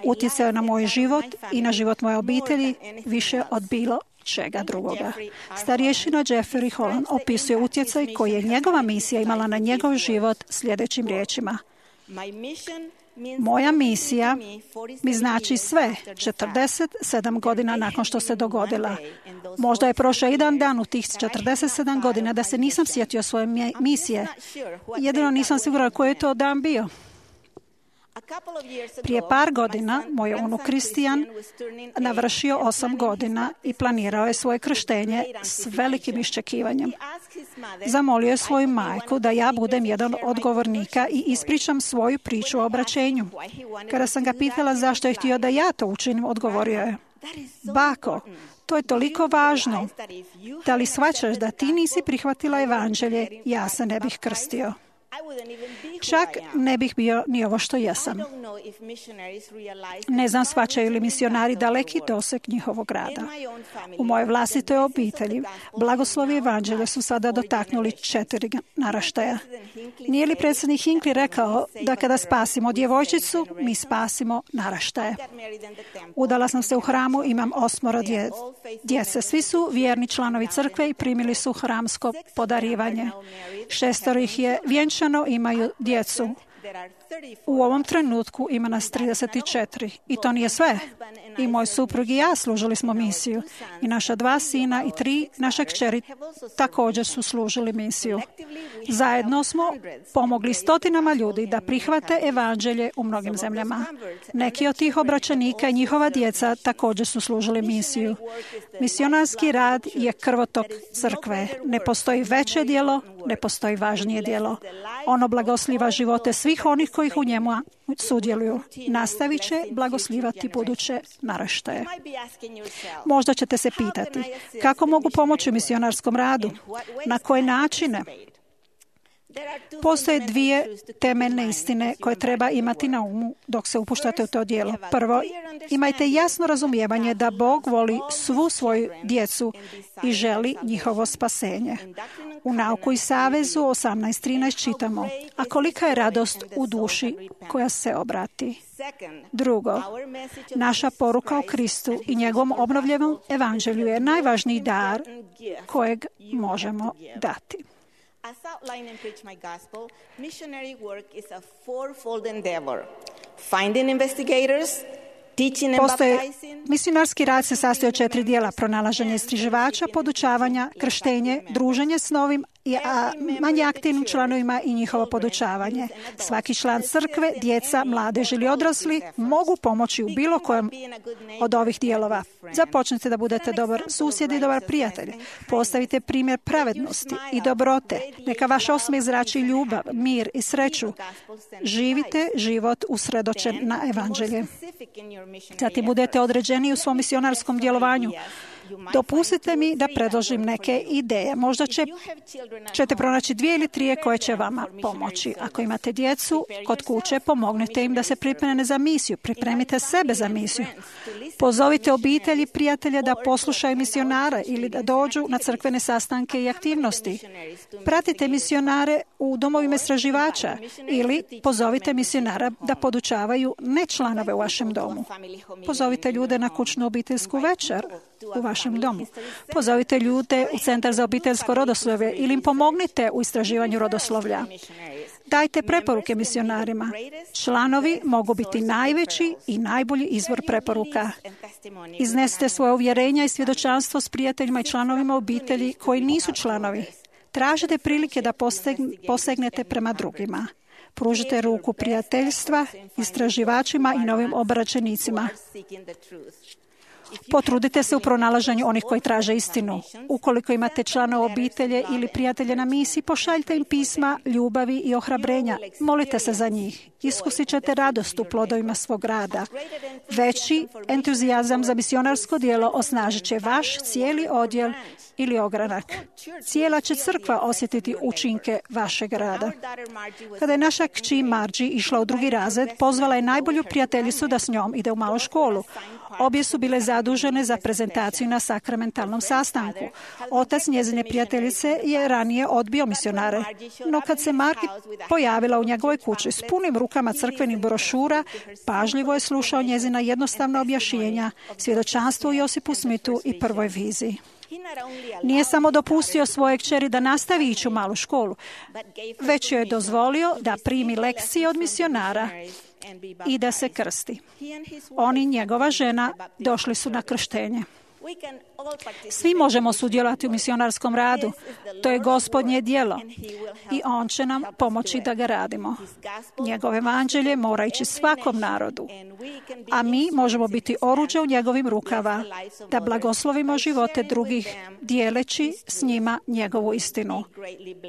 S5: Utjecao je na moj život i na život moje obitelji više od bilo čega drugoga. Starješina Jeffrey Holland opisuje utjecaj koji je njegova misija imala na njegov život sljedećim riječima. Moja misija mi znači sve četrdeset sedam godina nakon što se dogodila. Možda je prošao jedan dan u tih četrdeset sedam godina da se nisam sjetio svoje misije. Jedino nisam sigurna koji je to dan bio. Prije par godina moj unuk Kristijan navršio osam godina i planirao je svoje krštenje s velikim iščekivanjem. Zamolio je svoju majku da ja budem jedan od govornika i ispričam svoju priču o obraćenju. Kada sam ga pitala zašto je htio da ja to učinim, odgovorio je: bako, to je toliko važno. Da li shvaćaš da ti nisi prihvatila evanđelje, ja se ne bih krstio. Čak ne bih bio ni ovo što jesam. Ne znam shvaćaju li misionari daleki doseg njihovog rada. U mojoj vlastitoj obitelji blagoslovi evanđelja su sada dotaknuli četiri naraštaja. Nije li predsjednik Hinckley rekao da kada spasimo djevojčicu, mi spasimo naraštaje? Udala sam se u hramu, imam osmoro dje, djece. Svi su vjerni članovi crkve i primili su hramsko podarivanje. Šestoro ih je vjenčano, imaju djecu. U ovom trenutku ima nas trideset četiri. I to nije sve. I moj suprug i ja služili smo misiju. I naša dva sina i tri naše kćeri također su služili misiju. Zajedno smo pomogli stotinama ljudi da prihvate evanđelje u mnogim zemljama. Neki od tih obraćenika i njihova djeca također su služili misiju. Misionarski rad je krvotok crkve. Ne postoji veće djelo, ne postoji važnije djelo. Ono blagoslivlja živote svih onih kojih u njemu sudjeluju. Nastavit će blagoslivati buduće naraštaje. Možda ćete se pitati, kako mogu pomoći u misionarskom radu? Na koje načine? Postoje dvije temeljne istine koje treba imati na umu dok se upuštate u to djelo. Prvo, imajte jasno razumijevanje da Bog voli svu svoju djecu i želi njihovo spasenje. U Nauku i savezu osamnaest trinaest čitamo: a kolika je radost u duši koja se obrati. Drugo, naša poruka o Kristu i njegovom obnovljenom evanđelju je najvažniji dar kojeg možemo dati.
S6: As outlined in Preach My Gospel, missionary work is a fourfold endeavor. Finding investigators,
S5: Postoje, misionarski rad se sastoji od četiri dijela: pronalaženje istraživača, podučavanja, krštenje, druženje s novim i a, manje aktivnim članovima i njihovo podučavanje. Svaki član crkve, djeca, mladež ili odrasli mogu pomoći u bilo kojem od ovih dijelova. Započnite da budete dobar susjed i dobar prijatelj. Postavite primjer pravednosti i dobrote. Neka vaš osmijeh zrači ljubav, mir i sreću. Živite život usredočen na evanđelje. Zatim budete određeni u svom misionarskom djelovanju. Dopustite mi da predložim neke ideje. Možda će, ćete pronaći dvije ili trije koje će vama pomoći. Ako imate djecu kod kuće, pomognite im da se pripreme za misiju. Pripremite sebe za misiju. Pozovite obitelji i prijatelje da poslušaju misionara ili da dođu na crkvene sastanke i aktivnosti. Pratite misionare u domovima istraživača ili pozovite misionara da podučavaju ne članove u vašem domu. Pozovite ljude na kućnu obiteljsku večer u vašem domu. Pozovite ljude u Centar za obiteljsko rodoslovlje ili im pomognite u istraživanju rodoslovlja. Dajte preporuke misionarima. Članovi mogu biti najveći i najbolji izvor preporuka. Iznesite svoje uvjerenja i svjedočanstvo s prijateljima i članovima obitelji koji nisu članovi. Tražite prilike da posegnete prema drugima. Pružite ruku prijateljstva istraživačima i novim obraćenicima. Potrudite se u pronalaženju onih koji traže istinu. Ukoliko imate članove obitelje ili prijatelje na misiji, pošaljite im pisma ljubavi i ohrabrenja. Molite se za njih. Iskusit ćete radost u plodovima svog rada. Veći entuzijazam za misionarsko djelo osnažit će vaš cijeli odjel ili ogranak. Cijela će crkva osjetiti učinke vašeg rada. Kada je naša kći Margie išla u drugi razred, pozvala je najbolju prijateljicu da s njom ide u malu školu. Obje su bile zadužene za prezentaciju na sakramentalnom sastanku. Otac njezine prijateljice je ranije odbio misionare, no kad se Margie pojavila u njegovoj kući s punim rukama crkvenih brošura, pažljivo je slušao njezina jednostavna objašnjenja, svjedočanstvo Josipu Smithu i prvoj viziji. Nije samo dopustio svojoj kćeri da nastavi ići u malu školu, već joj je dozvolio da primi lekcije od misionara i da se krsti. On i njegova žena došli su na krštenje. Svi možemo sudjelovati u misionarskom radu. To je Gospodnje djelo i On će nam pomoći da ga radimo. Njegov evanđelje mora ići svakom narodu, a mi možemo biti oruđe u njegovim rukava da blagoslovimo živote drugih dijeleći s njima njegovu istinu.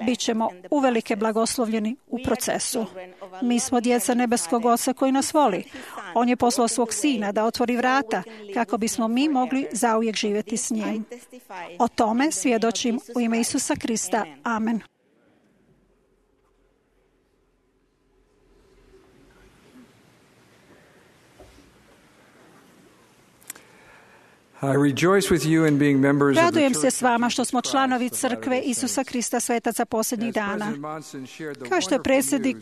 S5: Bićemo uvelike blagoslovljeni u procesu. Mi smo djeca nebeskog Oca koji nas voli. On je poslao svog Sina da otvori vrata kako bismo mi mogli zauvijek živjeti s njim. O tome svjedočim u ime Isusa Krista. Amen. Radujem se s vama što smo članovi crkve Isusa Krista svetaca posljednjih dana. Kao što je predsjednik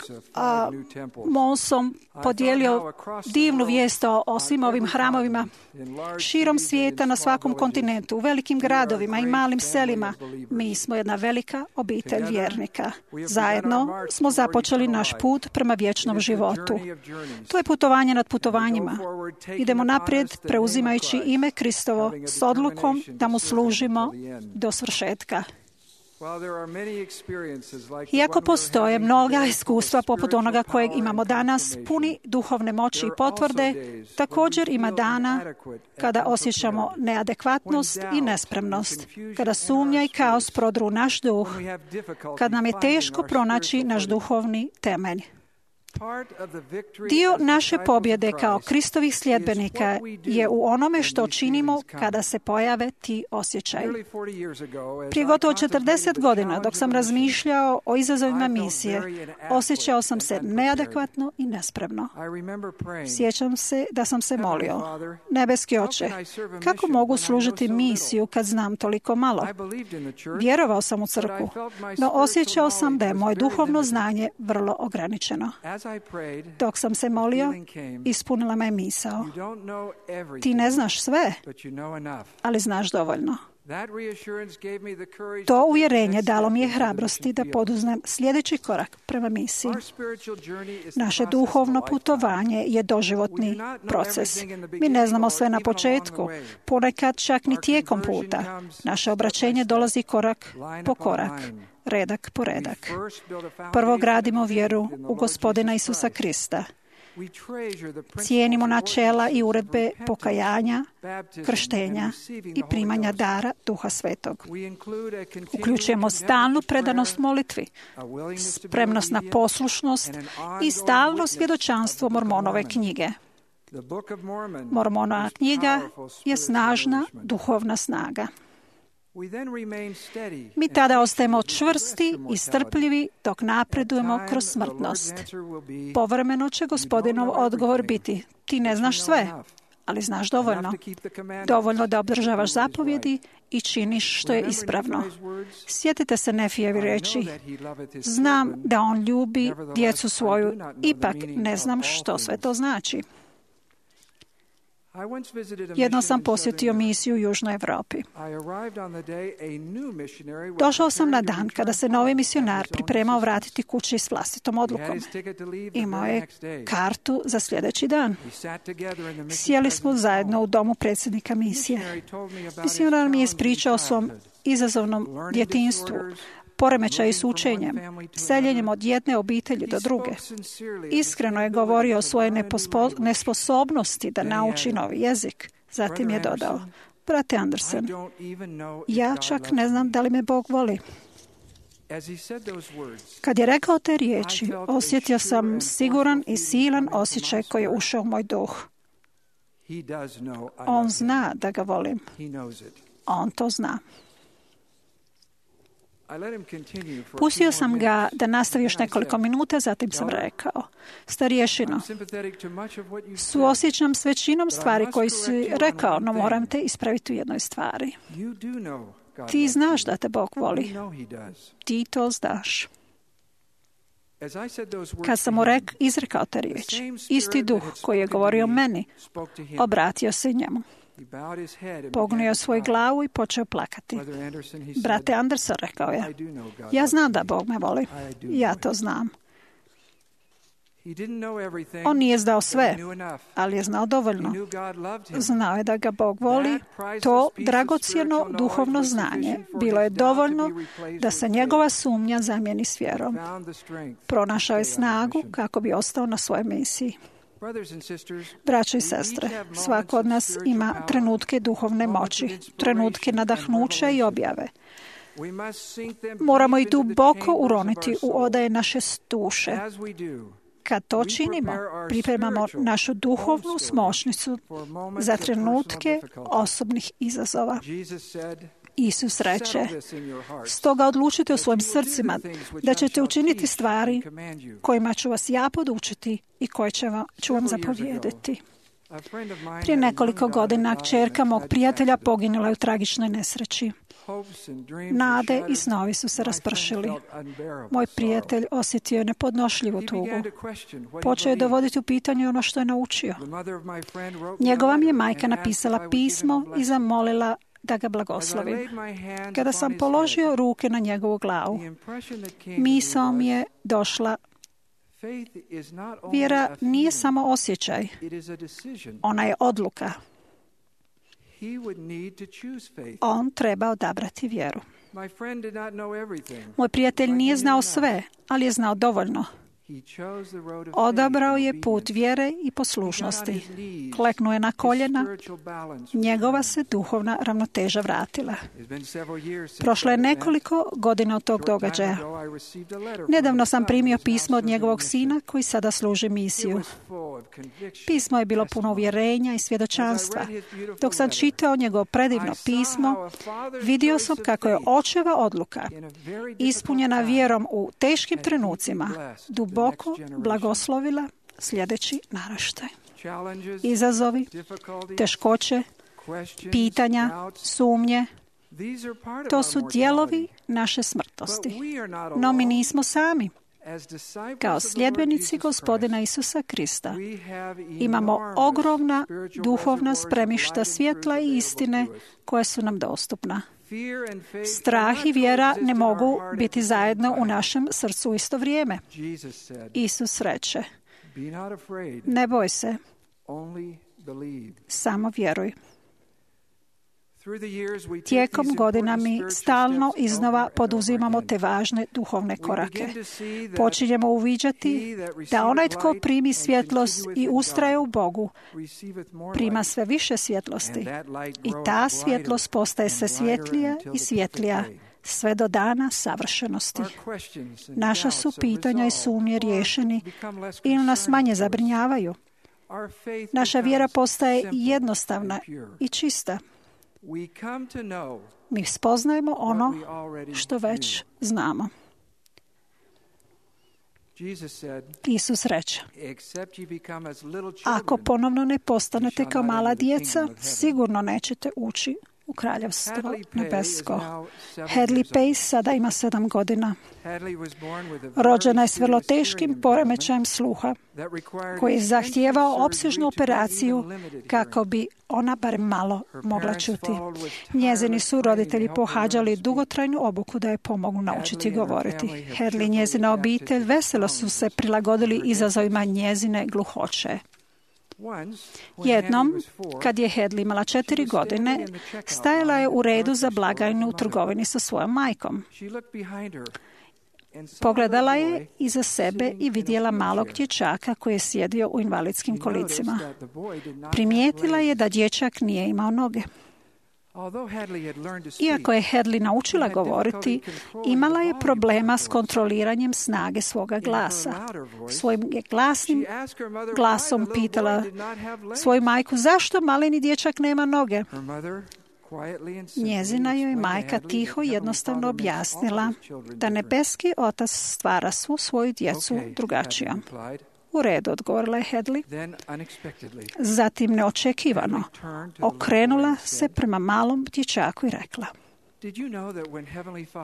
S5: Monson podijelio divnu vijest o, o svim ovim hramovima širom svijeta, na svakom kontinentu, u velikim gradovima i malim selima, mi smo jedna velika obitelj vjernika. Zajedno smo započeli naš put prema vječnom životu. To je putovanje nad putovanjima. Idemo naprijed preuzimajući ime Kristovo s odlukom da mu služimo do svršetka. Iako postoje mnoga iskustva poput onoga kojeg imamo danas, puni duhovne moći i potvrde, također ima dana kada osjećamo neadekvatnost i nespremnost, kada sumnja i kaos prodru naš duh, kad nam je teško pronaći naš duhovni temelj. Dio naše pobjede kao Kristovih sljedbenika je u onome što činimo kada se pojave ti osjećaji. Prije gotovo četrdeset godina, dok sam razmišljao o izazovima misije, osjećao sam se neadekvatno i nespremno. Sjećam se da sam se molio: Nebeski Oče, kako mogu služiti misiju kad znam toliko malo? Vjerovao sam u crkvu, no osjećao sam da je moje duhovno znanje vrlo ograničeno. Dok sam se molio, ispunila me misao: ti ne znaš sve, ali znaš dovoljno. To uvjerenje dalo mi je hrabrosti da poduzmem sljedeći korak prema misiji. Naše duhovno putovanje je doživotni proces. Mi ne znamo sve na početku, ponekad čak ni tijekom puta. Naše obraćenje dolazi korak po korak, redak po redak. Prvo gradimo vjeru u Gospodina Isusa Krista. Cijenimo načela i uredbe pokajanja, krštenja i primanja dara Duha Svetog. Uključujemo stalnu predanost molitvi, spremnost na poslušnost i stalno svjedočanstvo Mormonove knjige. Mormonova knjiga je snažna duhovna snaga. Mi tada ostajemo čvrsti i strpljivi dok napredujemo kroz smrtnost. Povremeno će Gospodinov odgovor biti: ti ne znaš sve, ali znaš dovoljno. Dovoljno da obdržavaš zapovjedi i činiš što je ispravno. Sjetite se Nefijevi riječi: znam da on ljubi djecu svoju, ipak ne znam što sve to znači. Jednom sam posjetio misiju u Južnoj Europi. Došao sam na dan kada se novi misionar pripremao vratiti kući s vlastitom odlukom. Imao je kartu za sljedeći dan. Sjeli smo zajedno u domu predsjednika misije. Misionar mi je ispričao o svom izazovnom djetinjstvu, poremećaju s učenjem, seljenjem od jedne obitelji do druge. Iskreno je govorio o svojoj nepospo- nesposobnosti da nauči novi jezik. Zatim je dodao: brate Anderson, ja čak ne znam da li me Bog voli. Kad je rekao te riječi, osjetio sam siguran i silan osjećaj koji je ušao u moj duh. On zna da ga volim. On to zna. Pustio sam ga da nastavi još nekoliko minuta, zatim sam rekao: starješino, suosjećam s većinom stvari koji si rekao, no moram te ispraviti u jednoj stvari. Ti znaš da te Bog voli. Ti to znaš. Kad sam mu rek, izrekao te riječi, isti duh koji je govorio o meni, obratio se njemu. Pognio svoj glavu i počeo plakati. Brate Anderson, rekao je, ja znam da Bog me voli. Ja to znam. On nije znao sve, ali je znao dovoljno. Znao je da ga Bog voli. To dragocjeno duhovno znanje bilo je dovoljno da se njegova sumnja zamijeni s vjerom. Pronašao je snagu kako bi ostao na svojoj misiji. Braćo i sestre, svako od nas ima trenutke duhovne moći, trenutke nadahnuća i objave. Moramo i duboko uroniti u odaje naše duše. Kad to činimo, pripremamo našu duhovnu smočnicu za trenutke osobnih izazova. Isus reče, stoga odlučite u svojim srcima da ćete učiniti stvari kojima ću vas ja podučiti i koje će vam, ću vam zapovjediti. Prije nekoliko godina kćerka mog prijatelja poginula je u tragičnoj nesreći. Nade i snovi su se raspršili. Moj prijatelj osjetio je nepodnošljivu tugu. Počeo je dovoditi u pitanje ono što je naučio. Njegova mi je majka napisala pismo i zamolila da ga blagoslovim. Kada sam položio ruke na njegovu glavu, misao mi je došla: vjera nije samo osjećaj, ona je odluka. On treba odabrati vjeru. Moj prijatelj nije znao sve, ali je znao dovoljno. Odabrao je put vjere i poslušnosti. Kleknuo je na koljena. Njegova se duhovna ravnoteža vratila. Prošlo je nekoliko godina od tog događaja. Nedavno sam primio pismo od njegovog sina koji sada služi misiju. Pismo je bilo puno uvjerenja i svjedočanstva. Dok sam čitao njegovo predivno pismo, vidio sam kako je očeva odluka, ispunjena vjerom u teškim trenucima, duboko blagoslovila sljedeći naraštaj. Izazovi, teškoće, pitanja, sumnje, to su dijelovi naše smrtnosti. No mi nismo sami. Kao sljedbenici Gospodina Isusa Krista imamo ogromna duhovna spremišta svjetla i istine koje su nam dostupna. Strah i vjera ne mogu biti zajedno u našem srcu u isto vrijeme. Isus reče, ne boj se, samo vjeruj. Tijekom godina mi stalno iznova poduzimamo te važne duhovne korake. Počinjemo uviđati da onaj tko primi svjetlost i ustraje u Bogu, prima sve više svjetlosti. I ta svjetlost postaje sve svjetlija i svjetlija, sve do dana savršenosti. Naša su pitanja i sumnje riješeni ili nas manje zabrinjavaju. Naša vjera postaje jednostavna i čista. Mi spoznajemo ono što već znamo. Isus reče, ako ponovno ne postanete kao mala djeca, sigurno nećete ući u kraljevstvo nebesko. Hadley Pace sada ima sedam godina. Rođena je s vrlo teškim poremećajem sluha, koji je zahtijevao opsežnu operaciju kako bi ona bar malo mogla čuti. Njezini su roditelji pohađali dugotrajnu obuku da je pomognu naučiti govoriti. Hadley i njezina obitelj veselo su se prilagodili izazovima njezine gluhoće. Jednom, kad je Hadley imala četiri godine, stajala je u redu za blagajnu u trgovini sa svojom majkom. Pogledala je iza sebe i vidjela malog dječaka koji je sjedio u invalidskim kolicima. Primijetila je da dječak nije imao noge. Iako je Hadley naučila govoriti, imala je problema s kontroliranjem snage svoga glasa. Svojim je glasnim glasom pitala svoju majku, zašto maleni dječak nema noge? Njezina joj majka tiho i jednostavno objasnila da nebeski otac stvara svu svoju djecu drugačijom. U redu, odgovorila je Hadley. Zatim neočekivano okrenula se prema malom dječaku i rekla,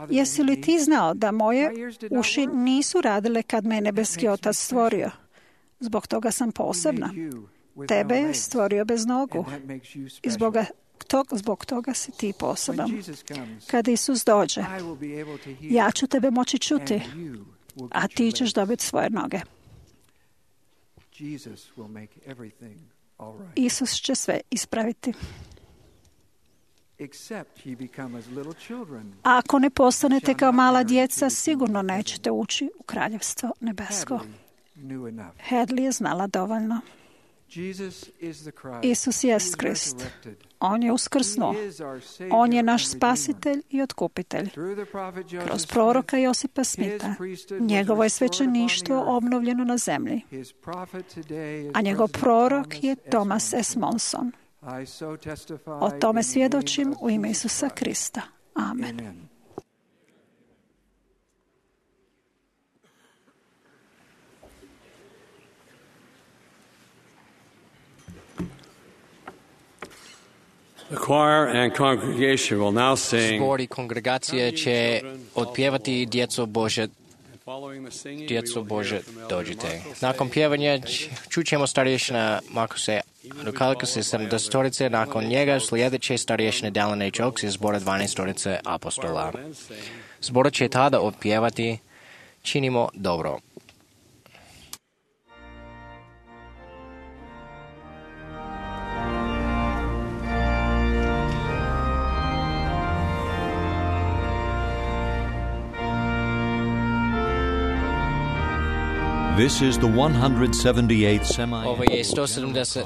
S5: jesi li ti znao da moje uši nisu radile kad me je nebeski otac stvorio? Zbog toga sam posebna. Tebe je stvorio bez nogu. I zbog toga, zbog toga si ti poseban. Kad Isus dođe, ja ću tebe moći čuti, a ti ćeš dobiti svoje noge. Isus će sve ispraviti. A ako ne postanete kao mala djeca, sigurno nećete ući u kraljevstvo nebesko. Hadley je znala dovoljno. Isus jest Krist. On je uskrsnuo. On je naš spasitelj i otkupitelj. Kroz proroka Josipa Smitha njegovo je svećeništvo obnovljeno na zemlji. A njegov prorok je Thomas S. Monson. O tome svjedočim u ime Isusa Krista. Amen.
S7: The choir and congregation will now sing.
S2: Zbor i kongregacija će otpjevati Djeco Bože, Djeco Bože, dođite. Nakon pjevanja čućemo starješina Markuse Rukalkase sedamdesetorice, nakon njega sljedeće starješine Dallin H. Oaks iz zbora dvanaestorice apostola. Zbor će tada otpjevati Činimo dobro.
S1: This is the one hundred seventy-eighth semi.
S2: Ovo je sto sedamdeset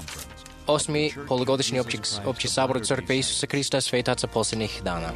S2: osmi polugodišnji opći, opći sabor Crkve Isusa Krista svetaca posljednjih dana.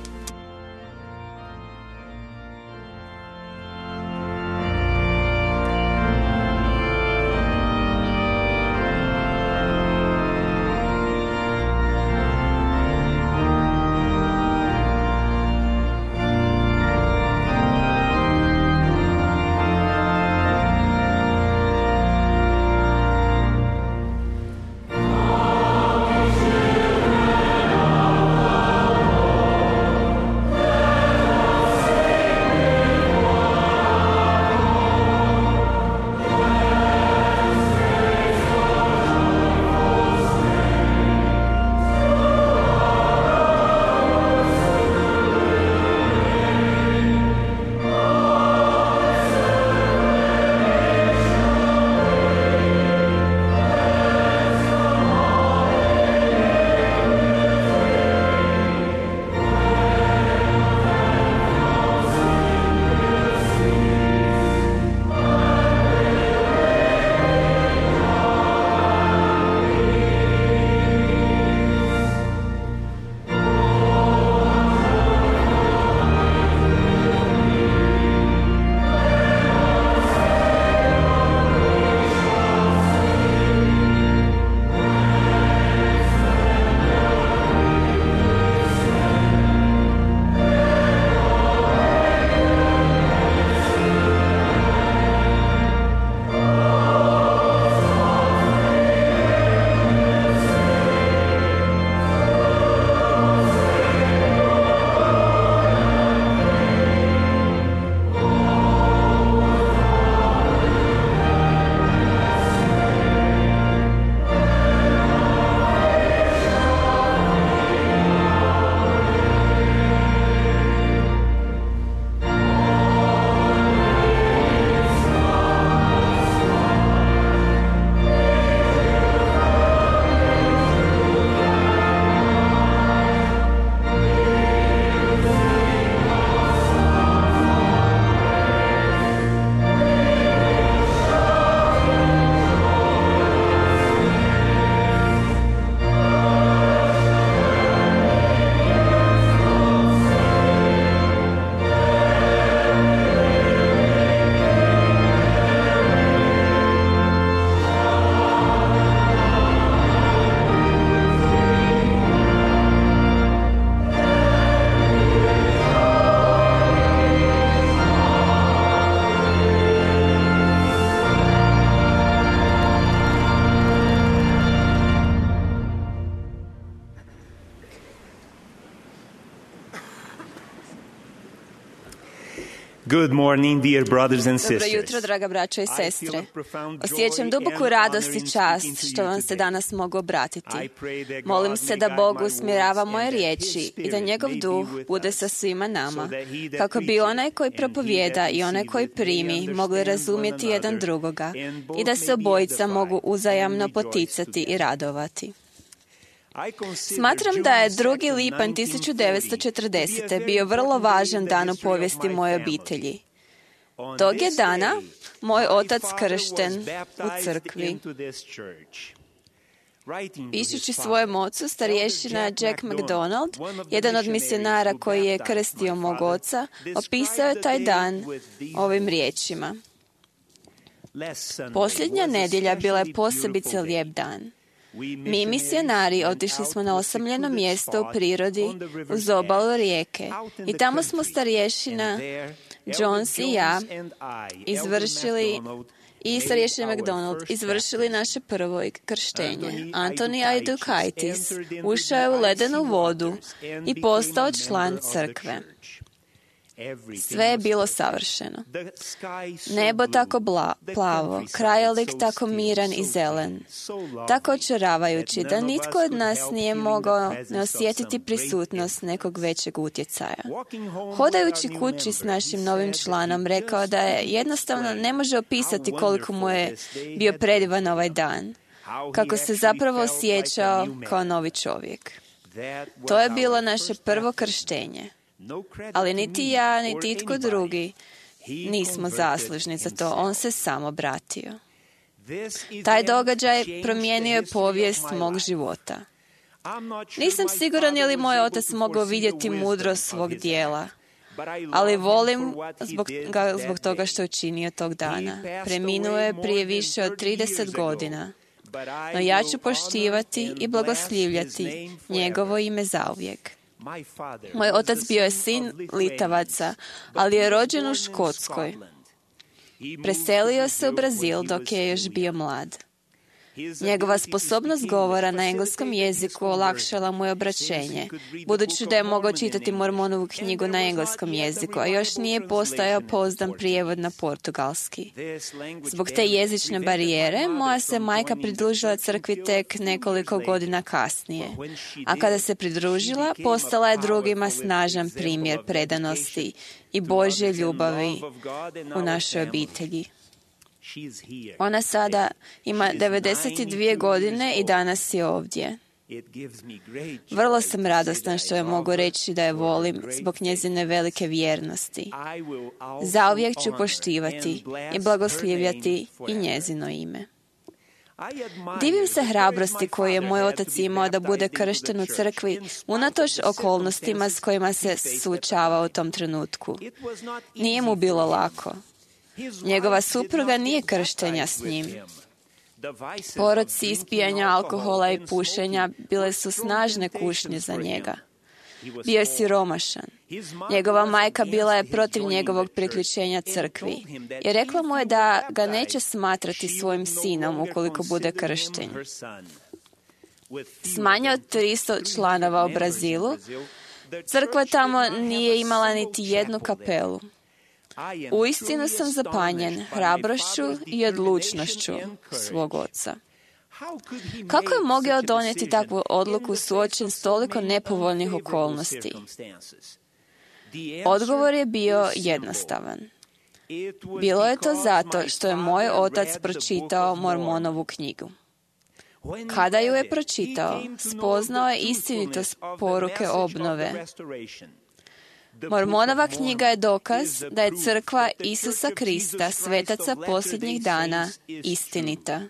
S8: Good morning, dear brothers and
S9: Dobro
S8: sisters.
S9: jutro, draga braćo i sestre. Osjećam duboku radost i čast što vam se danas mogu obratiti. Molim se da Bog usmjerava moje riječi i da njegov duh bude sa svima nama, kako bi onaj koji propovijeda i onaj koji primi mogli razumjeti jedan drugoga i da se obojica mogu uzajamno poticati i radovati. Smatram da je drugi lipanj tisuću devetsto četrdesete bio vrlo važan dan u povijesti moje obitelji. Tog je dana moj otac kršten u crkvi. Pišući svojem ocu, starješina Jack MacDonald, jedan od misionara koji je krstio mog oca, opisao je taj dan ovim riječima. Posljednja nedjelja bila je posebice lijep dan. Mi misionari otišli smo na osamljeno mjesto u prirodi uz obalu rijeke i tamo smo starješina Jones i ja izvršili i starješina MacDonald izvršili naše prvo krštenje. Antoni Aidukaitis ušao je u ledenu vodu i postao član crkve. Sve je bilo savršeno. Nebo tako bla, plavo, krajolik tako miran i zelen, tako očaravajući da nitko od nas nije mogao ne osjetiti prisutnost nekog većeg utjecaja. Hodajući kući s našim novim članom, rekao da je jednostavno ne može opisati koliko mu je bio predivan ovaj dan, kako se zapravo osjećao kao novi čovjek. To je bilo naše prvo krštenje. Ali niti ja, niti itko drugi nismo zaslužni za to. On se sam obratio. Taj događaj promijenio je povijest mog života. Nisam siguran je li moj otac mogao vidjeti mudrost svog dijela, ali volim zbog, ga zbog toga što je učinio tog dana. Preminuo je prije više od trideset godina, no ja ću poštivati i blagoslivljati njegovo ime zauvijek. Moj otac bio je sin Litavaca, ali je rođen u Škotskoj. Preselio se u Brazil dok je još bio mlad. Njegova sposobnost govora na engleskom jeziku olakšala mu je obraćenje, budući da je mogao čitati Mormonovu knjigu na engleskom jeziku, a još nije postojao pouzdan prijevod na portugalski. Zbog te jezične barijere, moja se majka pridružila crkvi tek nekoliko godina kasnije, a kada se pridružila, postala je drugima snažan primjer predanosti i Božje ljubavi u našoj obitelji. Ona sada ima devedeset dvije godine i danas je ovdje. Vrlo sam radostan što je mogu reći da je volim zbog njezine velike vjernosti. Zauvijek ću poštivati i blagoslivljati i njezino ime. Divim se hrabrosti koju je moj otac imao da bude kršten u crkvi unatoč okolnostima s kojima se suočavao u tom trenutku. Nije mu bilo lako. Njegova supruga nije krštenja s njim. Poroci ispijanja alkohola i pušenja bile su snažne kušnje za njega. Bio je siromašan. Njegova majka bila je protiv njegovog priključenja crkvi i rekla mu je da ga neće smatrati svojim sinom ukoliko bude kršten. S manje od tristo članova u Brazilu, crkva tamo nije imala niti jednu kapelu. Uistinu sam zapanjen hrabrošću i odlučnošću svog oca. Kako je mogao donijeti takvu odluku suočen s toliko nepovoljnih okolnosti? Odgovor je bio jednostavan. Bilo je to zato što je moj otac pročitao Mormonovu knjigu. Kada ju je pročitao, spoznao je istinitost poruke obnove. Mormonova knjiga je dokaz da je crkva Isusa Krista, svetaca posljednjih dana, istinita.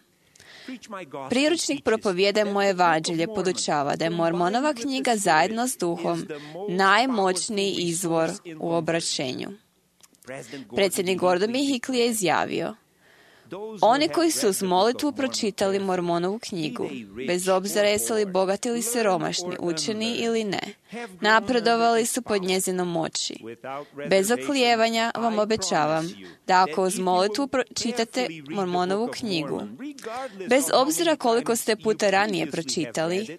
S9: Priručnik Propovijedaj moje evanđelje podučava da je Mormonova knjiga zajedno s duhom najmoćniji izvor u obraćenju. Predsjednik Gordon B. Hinckley je izjavio: oni koji su uz molitvu pročitali Mormonovu knjigu, bez obzira jesu li bogati ili siromašni, učeni ili ne, napredovali su pod njezinom moći. Bez oklijevanja vam obećavam da ako uz molitvu pročitate Mormonovu knjigu, bez obzira koliko ste puta ranije pročitali,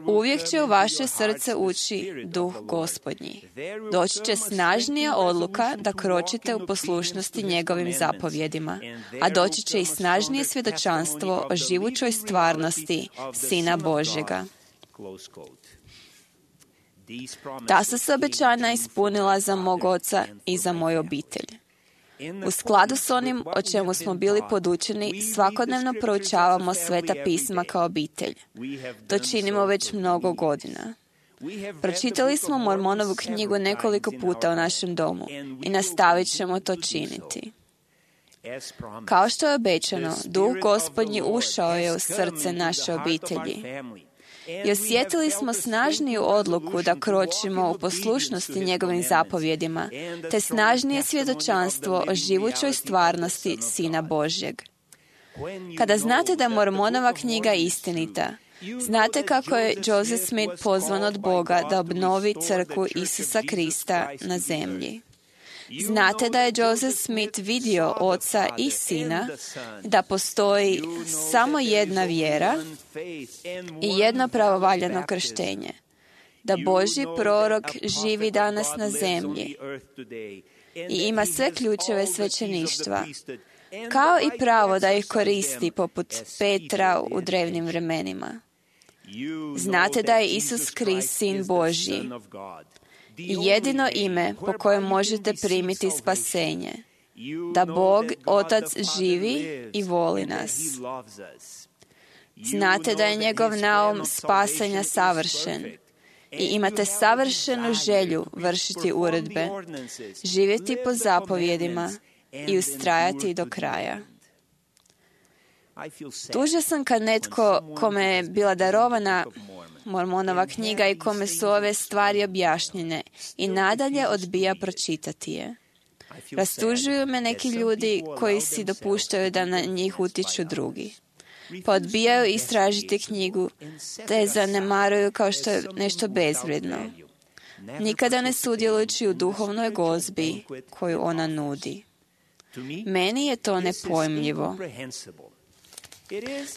S9: Uvijek će u vaše srce ući duh Gospodnji. Doći će snažnija odluka da kročite u poslušnosti njegovim zapovjedima, a doći će i snažnije svjedočanstvo o živućoj stvarnosti Sina Božjega. Ta su se obećanja ispunila za mog oca i za moju obitelj. U skladu s onim o čemu smo bili podučeni, svakodnevno proučavamo Sveta pisma kao obitelj. To činimo već mnogo godina. Pročitali smo Mormonovu knjigu nekoliko puta u našem domu i nastavit ćemo to činiti. Kao što je obećano, Duh Gospodnji ušao je u srce naše obitelji. I osjetili smo snažniju odluku da kročimo u poslušnosti njegovim zapovjedima, te snažnije svjedočanstvo o živućoj stvarnosti Sina Božjeg. Kada znate da je Mormonova knjiga istinita, znate kako je Joseph Smith pozvan od Boga da obnovi crkvu Isusa Krista na zemlji. Znate da je Joseph Smith vidio Oca i Sina, da postoji samo jedna vjera i jedno pravovaljano krštenje, da Božji prorok živi danas na zemlji i ima sve ključeve svećeništva, kao i pravo da ih koristi poput Petra u drevnim vremenima. Znate da je Isus Krist Sin Božji i jedino ime po kojem možete primiti spasenje, da Bog Otac živi i voli nas. Znate da je njegov naum spasanja savršen i imate savršenu želju vršiti uredbe, živjeti po zapovjedima i ustrajati do kraja. Tužan sam kad netko kome je bila darovana Mormonova knjiga i kome su ove stvari objašnjene i nadalje odbija pročitati je. Rastužuju me neki ljudi koji si dopuštaju da na njih utječu drugi. Pa odbijaju istražiti knjigu, te je zanemaruju kao što je nešto bezvrijedno, nikada ne sudjelujući u duhovnoj gozbi koju ona nudi. Meni je to nepojmljivo.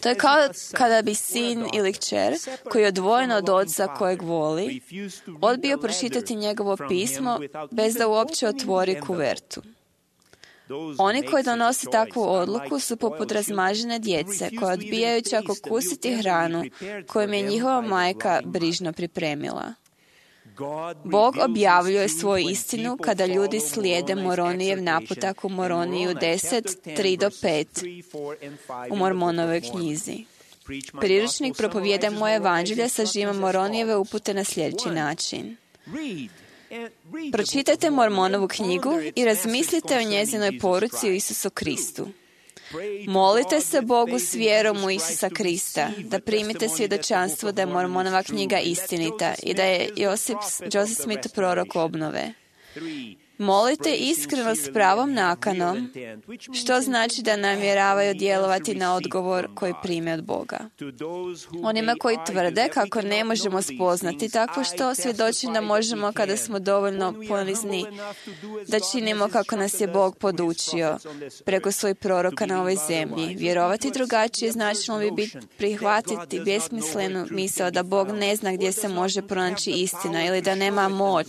S9: To je kao kada bi sin ili kćer, koji je odvojen od oca kojeg voli, odbio pročitati njegovo pismo bez da uopće otvori kuvertu. Oni koji donose takvu odluku su poput razmažene djece koje odbijaju čak okusiti hranu kojom je njihova majka brižno pripremila. Bog objavljuje svoju istinu kada ljudi slijede Moronijev naputak u Moroniju deset, tri do pet u Mormonovoj knjizi. Priručnik Propovijedaj moje evanđelje sažima Moronijeve upute na sljedeći način. Pročitajte Mormonovu knjigu i razmislite o njezinoj poruci u Isusu Kristu. Molite se Bogu s vjerom u Isusa Krista, da primite svjedočanstvo da je Mormonova knjiga istinita i da je Josip, Joseph Smith prorok obnove. Molite iskreno s pravom nakanom, što znači da namjeravaju djelovati na odgovor koji prime od Boga. Onima koji tvrde kako ne možemo spoznati takvo što, svjedočim da možemo kada smo dovoljno ponizni da činimo kako nas je Bog podučio preko svojih proroka na ovoj zemlji. Vjerovati drugačije značilo bi biti prihvatiti besmislenu misao da Bog ne zna gdje se može pronaći istina ili da nema moć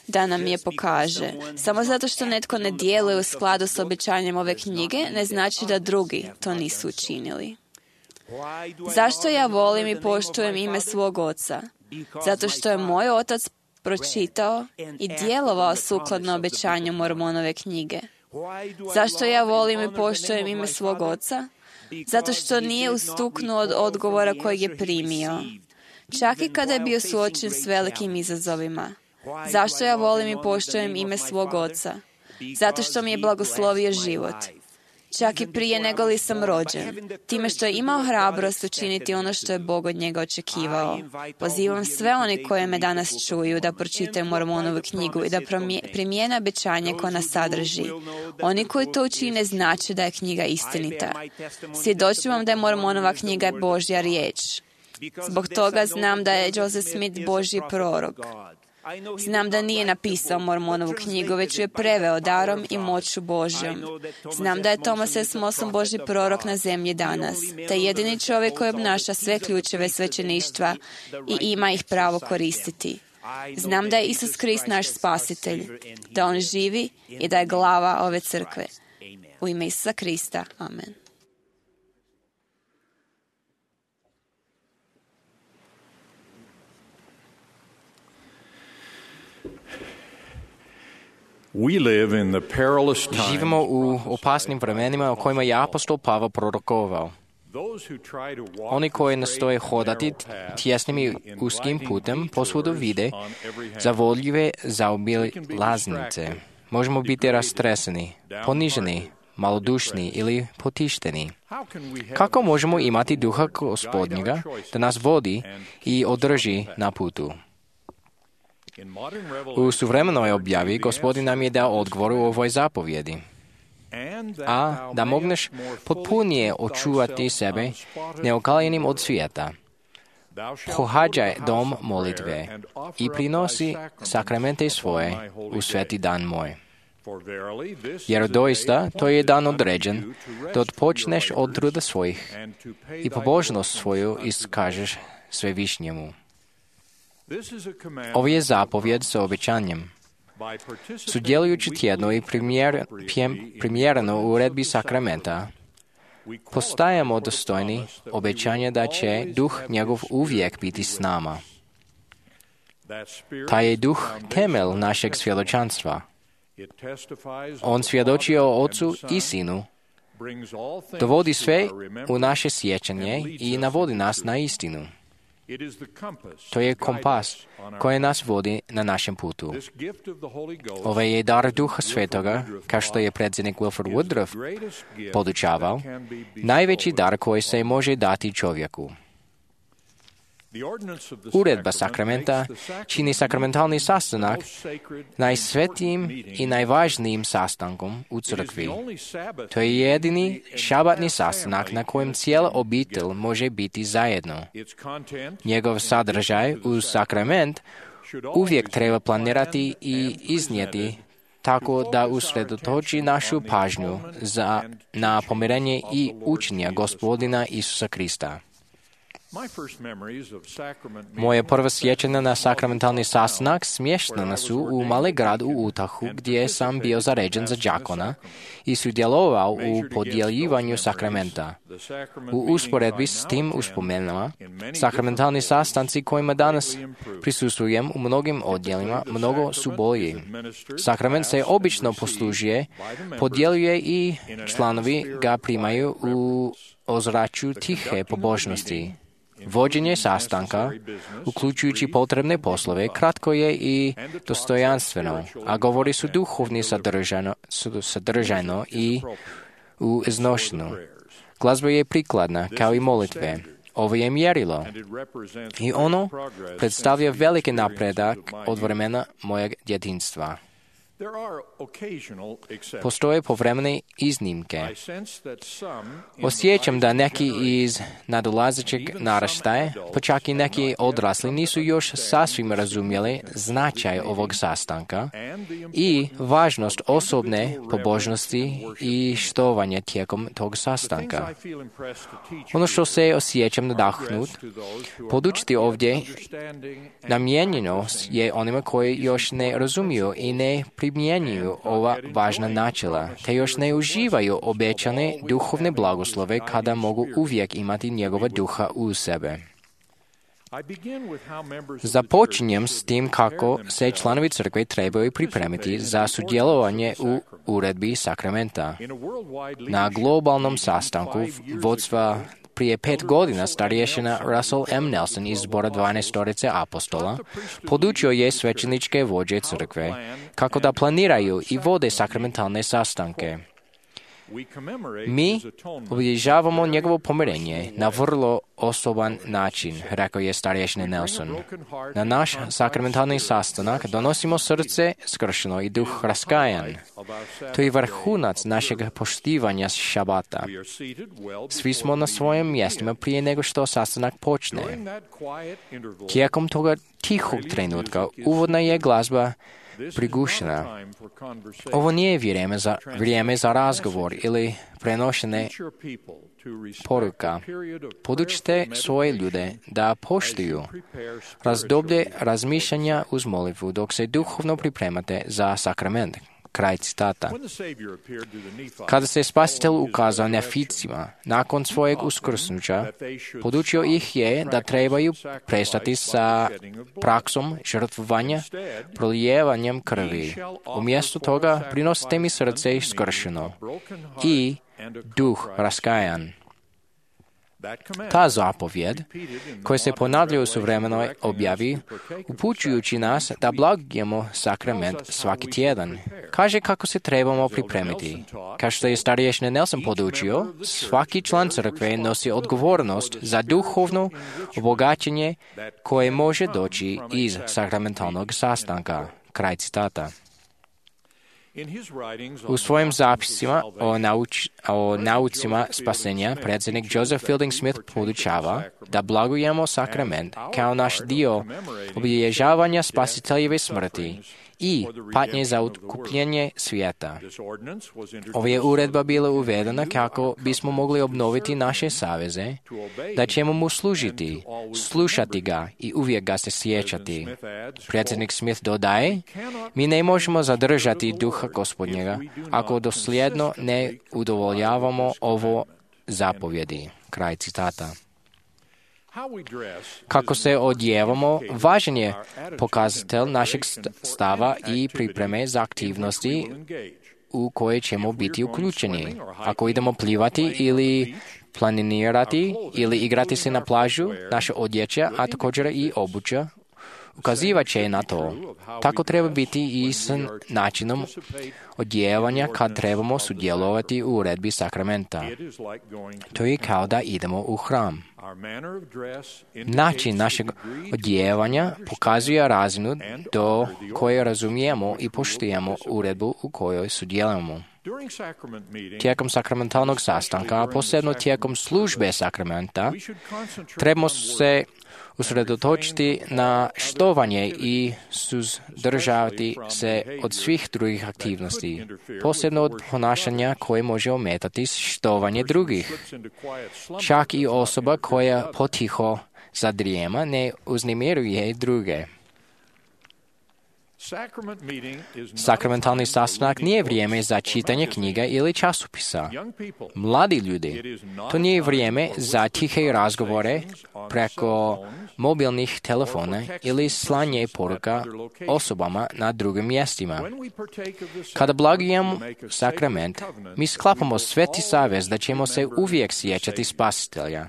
S9: da nam je pokaže. Samo zato što netko ne djeluje u skladu s obećanjem ove knjige, ne znači da drugi to nisu učinili. Zašto ja volim i poštujem ime svog oca? Zato što je moj otac pročitao i djelovao sukladno obećanju Mormonove knjige. Zašto ja volim i poštujem ime svog oca? Zato što nije ustuknuo od odgovora kojeg je primio, čak i kada je bio suočen s velikim izazovima. Zašto ja volim i poštujem ime svog oca? Zato što mi je blagoslovio život, čak i prije nego li sam rođen, time što je imao hrabrost učiniti ono što je Bog od njega očekivao. Pozivam sve oni koje me danas čuju da pročitaju Mormonovu knjigu i da primijene obećanje koje ona sadrži. Oni koji to učine znače da je knjiga istinita. Svjedočim vam da je Mormonova knjiga Božja riječ. Zbog toga znam da je Joseph Smith Božji prorok. Znam da nije napisao Mormonovu knjigu, već ju je preveo darom i moću Božjom. Znam da je Thomas S. Monson Božji prorok na zemlji danas, taj jedini čovjek koji obnaša sve ključeve svećeništva i ima ih pravo koristiti. Znam da je Isus Krist naš spasitelj, da on živi i da je glava ove crkve. U ime Isusa Krista. Amen.
S2: Živimo u opasnim vremenima o kojima je apostol Pavao prorokovao. Oni koji nastoje hodati tjesnim i uskim putem posvuda vide zavodljive zaobilaznice. Možemo biti rastreseni, poniženi, malodušni ili potišteni. Kako možemo imati duha Gospodnjega da nas vodi i održi na putu? U suvremenoj objavi Gospodin nam je dao odgovor u ovoj zapovjedi. A da mogneš potpunije očuvati sebe neokaljenim od svijeta. Pohađaj dom molitve i prinosi sakramente svoje u sveti dan moj. Jer doista to je dan određen da odpočneš od truda svojih i pobožnost svoju iskažeš Svevišnjemu. Ovo je zapovjed sa obećanjem. Sudjelujući tjedno i primjer, primjereno u uredbi sakramenta, postajemo dostojni obećanja da će duh njegov uvijek biti s nama. Taj je duh temelj našeg svjedočanstva. On svjedoči o Otcu i Sinu, dovodi sve u naše sjećanje i navodi nas na istinu. To je kompas koji nas vodi na našem putu. Ovaj je dar Duha Svetoga, kao što je predsjednik Wilford Woodruff podučavao, najveći dar koji se može dati čovjeku. Uredba sakramenta čini sakramentalni sastanak najsvetijim i najvažnijim sastankom u crkvi. To je jedini šabatni sastanak na kojem cijela obitelj može biti zajedno. Njegov sadržaj u sakrament uvijek treba planirati i iznijeti tako da usredotoči našu pažnju za, na pomirenje i učenja Gospodina Isusa Krista. Moje prvo sjećanje na sakramentalni sastanak smještena su u mali grad u Utahu, gdje sam bio zaređen za đakona i sudjelovao u podjeljivanju sakramenta. U usporedbi s tim uspomenama, sakramentalni sastanci kojima danas prisustvujem u mnogim odjelima mnogo su bolji. Sakrament se obično poslužuje, podjeljuje i članovi ga primaju u ozračju tihe pobožnosti. Vođenje sastanka, uključujući potrebne poslove, kratko je i dostojanstveno, a govori su duhovni sadržajno, sadržajno i u iznošenu. Glazba je prikladna, kao i molitve. Ovo je mjerilo i ono predstavlja veliki napredak od vremena mojeg djetinjstva. Postoje povremene iznimke. Osjećam da neki iz nadolazećeg naraštaja, pa čak i neki odrasli, nisu još sasvim razumjeli značaj ovog sastanka i važnost osobne pobožnosti i štovanja tijekom tog sastanka. Ono što se osjećam nadahnut, podučiti ovdje namijenjeno je onima koji još ne razumiju i ne primjenjuju ova važna načela, te još ne uživaju obećane duhovne blagoslove kada mogu uvijek imati njegova duha u sebe. Započinjem s tim kako se članovi crkve trebaju pripremiti za sudjelovanje u uredbi sakramenta. Na globalnom sastanku vodstva prije pet godina starješina Russell M. Nelson iz zbora dvanaestorice apostola podučio je svećeničke vođe crkve kako da planiraju i vode sakramentalne sastanke. Mi obilježavamo njegovo pomirenje na vrlo osoban način, rekao je starješni Nelson. Na naš sakramentalni sastanak donosimo srce skršeno i duh raskajan. To je vrhunac našeg poštivanja šabata. Svi smo na svojim mjestima prije nego što sastanak počne. Tijekom toga tihog trenutka uvodna je glazba prigušena. Ovo nije vrijeme za, vrijeme za razgovor ili prenošene poruka. Podučite svoje ljude da poštuju razdoblje razmišljanja uz molitvu dok se duhovno pripremate za sakrament. Kraj citata. Kada se Spasitelj ukazao Neficima nakon svojeg uskrsnuća, podučio ih je da trebaju prestati sa praksom žrtvovanja, prolijevanjem krvi. Umjesto toga prinosite mi srce skršeno i duh raskajan. Ta zapovjed, koja se ponavlja u suvremenoj objavi, upućujući nas da blagujemo sakrament svaki tjedan, kaže kako se trebamo pripremiti. Kao što je starješni Nelson podučio, svaki član crkve nosi odgovornost za duhovno obogaćenje koje može doći iz sakramentalnog sastanka. Kraj citata. U svojim zapisima o, nauč, o naucima spasenja predsjednik Joseph Fielding Smith podučava da blagujemo sakrament kao naš dio obilježavanja Spasiteljeve smrti i patnje za otkupljenje svijeta. Ova je uredba bila uvedena kako bismo mogli obnoviti naše saveze, da ćemo mu služiti, slušati ga i uvijek ga se sjećati. Predsjednik Smith dodaje, mi ne možemo zadržati duha Gospodnjega ako dosljedno ne udovoljavamo ovo zapovjedi. Kraj citata. Kako se odjevamo, važan je pokazatelj našeg stava i pripreme za aktivnosti u koje ćemo biti uključeni. Ako idemo plivati ili planirati ili igrati se na plažu, naša odjeća, a također i obuća, ukazivat će na to. Tako treba biti i s načinom odjevanja kad trebamo sudjelovati u uredbi sakramenta. To je kao da idemo u hram. Način našeg odjevanja pokazuje razinu do koje razumijemo i poštujemo uredbu u kojoj sudjelujemo. Tijekom sakramentalnog sastanka, a posebno tijekom službe sakramenta, trebamo se usredotočiti na štovanje i suzdržavati se od svih drugih aktivnosti, posebno od ponašanja koje može ometati štovanje drugih. Čak i osoba koja potiho zadrijema ne uznemiruje druge. Sakramentalni sastanak nije vrijeme za čitanje knjiga ili časopisa. Mladi ljudi, to nije vrijeme za tihe razgovore preko mobilnih telefona ili slanje poruka osobama na drugim mjestima. Kada blagujemo sakrament, mi sklapamo sveti savez da ćemo se uvijek sjećati Spasitelja.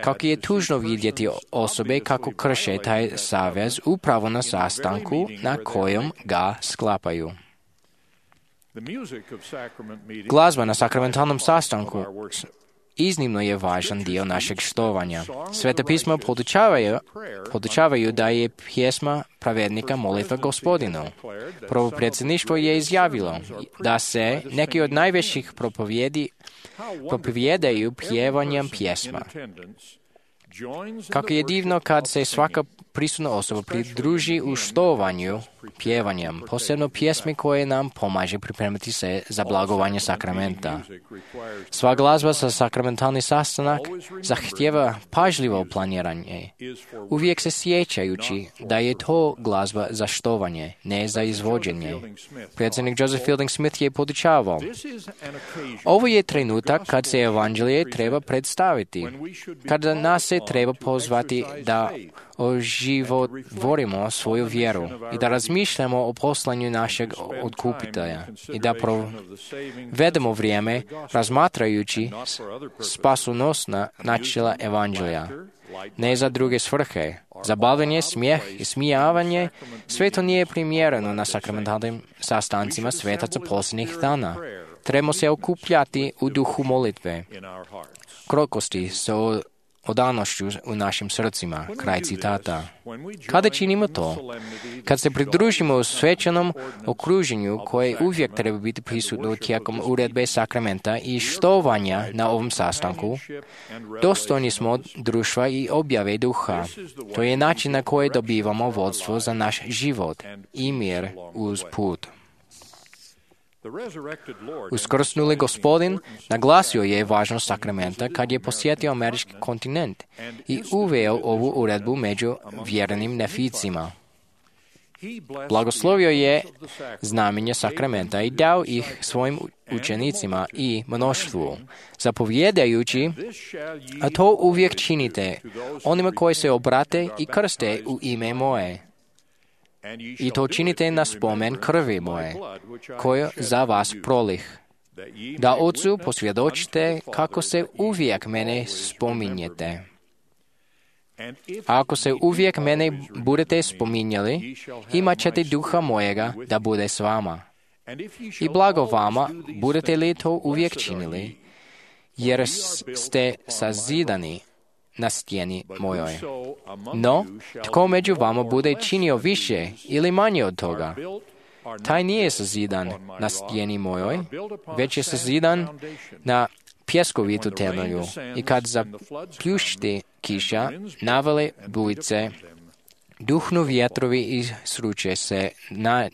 S2: Kako je tužno vidjeti osobe kako krše taj savez upravo na sastanku na kojem ga sklapaju. Glazba na sakramentalnom sastanku iznimno je važan dio našeg štovanja. Sveta pisma podučavaju, podučavaju da je pjesma pravednika molitva Gospodinu. Prvo predsjedništvo je izjavilo da se neki od najvećih propovjedi propovjedaju pjevanjem pjesma. Kako je divno kad se svaka prisutna osoba pridruži u štovanju pjevanjem, posebno pjesmi koje nam pomaže pripremiti se za blagovanje sakramenta. Sva glazba za sakramentalni sastanak zahtjeva pažljivo planiranje, uvijek se sjećajući da je to glazba za štovanje, ne za izvođenje. Predsjednik Joseph Fielding Smith je podučavao, ovo je trenutak kad se evanđelje treba predstaviti, kada nas se treba pozvati da oživotvorimo svoju vjeru i da razmišljamo o poslanju našeg otkupitelja i da provedemo vrijeme razmatrajući spasonosna načela evanđelja, ne za druge svrhe. Zabavljanje, smijeh i smijavanje, sve to nije primjereno na sakramentalnim sastancima svetaca posljednjih dana. Trebamo se okupljati u duhu molitve, krokosti sa odanošću u našim srcima. Kraj citata. Kada činimo to? Kad se pridružimo u svečanom okruženju koje uvijek treba biti prisutno tijekom uredbe sakramenta i štovanja na ovom sastanku, dostojni smo društva i objave duha. To je način na koji dobivamo vodstvo za naš život i mir uz put. Uskrsnuli Gospodin naglasio je važnost sakramenta kad je posjetio američki kontinent i uveo ovu uredbu među vjernim neficima. Blagoslovio je znamenje sakramenta i dao ih svojim učenicima i mnoštvu, zapovjedajući, a to uvijek činite onima koji se obrate i krste u ime moje. I to činite na spomen krvi moje, koju za vas prolih, da Otcu posvjedočite kako se uvijek mene spominjete. A ako se uvijek mene budete spominjali, imat ćete duha mojega da bude s vama. I blago vama, budete li to uvijek činili, jer ste sazidani na stijeni mojoj. No, tko među vama bude činio više ili manje od toga, taj nije sazidan na stijeni mojoj, već je sazidan na pjeskovitu temelju. I kad zapljušti kiša, navale bujice, duhnu vjetrovi i sruče se na,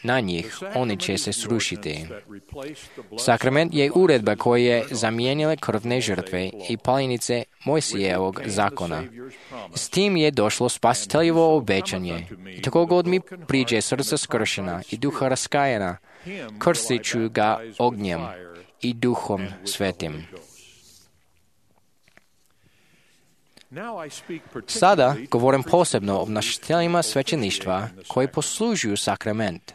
S2: na njih, oni će se srušiti. Sakrament je uredba koja je zamijenila krvne žrtve i paljenice Mojsijevog zakona. S tim je došlo spasiteljevo obećanje. I tako god mi priđe srca skršena i duha raskajena, krstit ću ga ognjem i duhom svetim. Sada govorim posebno o nositeljima svećeništva koji poslužuju sakrament.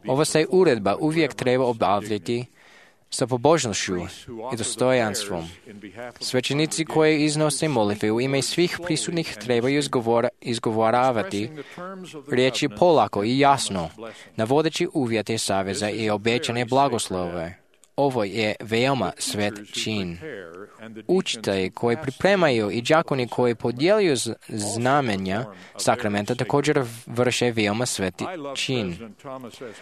S2: Ova se uredba uvijek treba obavljati sa pobožnošću i dostojanstvom. Svećenici koji iznose molitve u ime svih prisutnih trebaju izgovora, izgovoravati riječi polako i jasno, navodeći uvjete saveza i obećane blagoslove. Ovo je veoma svet čin. Učitelji koji pripremaju i đakoni koji podjeljuju znamenja sakramenta također vrše veoma sveti čin.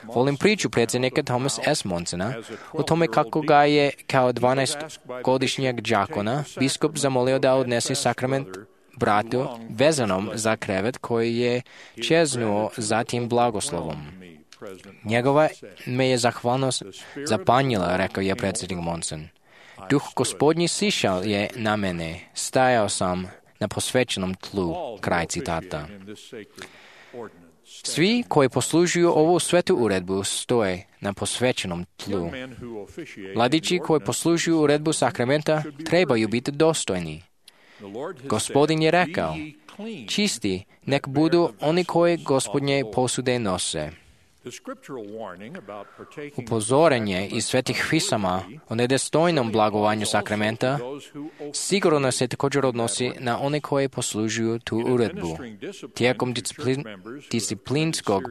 S2: Volim priču predsjednika Thomas S. Monsona o tome kako ga je kao dvanaestogodišnjeg đakona biskup zamolio da odnese sakrament bratu vezanom za krevet koji je čeznuo za tim blagoslovom. Njegova me je zahvalnost zapanjila, rekao je predsjednik Monson. Duh Gospodnji sišao je na mene, stajao sam na posvećenom tlu, kraj citata. Svi koji poslužuju ovu svetu uredbu stoje na posvećenom tlu. Mladići koji poslužuju uredbu sakramenta trebaju biti dostojni. Gospodin je rekao, čisti nek budu oni koji Gospodnje posude nose. Upozorenje iz svetih pisama o nedostojnom blagovanju sakramenta sigurno se također odnosi na one koje poslužuju tu uredbu. Tijekom disciplin, disciplinskog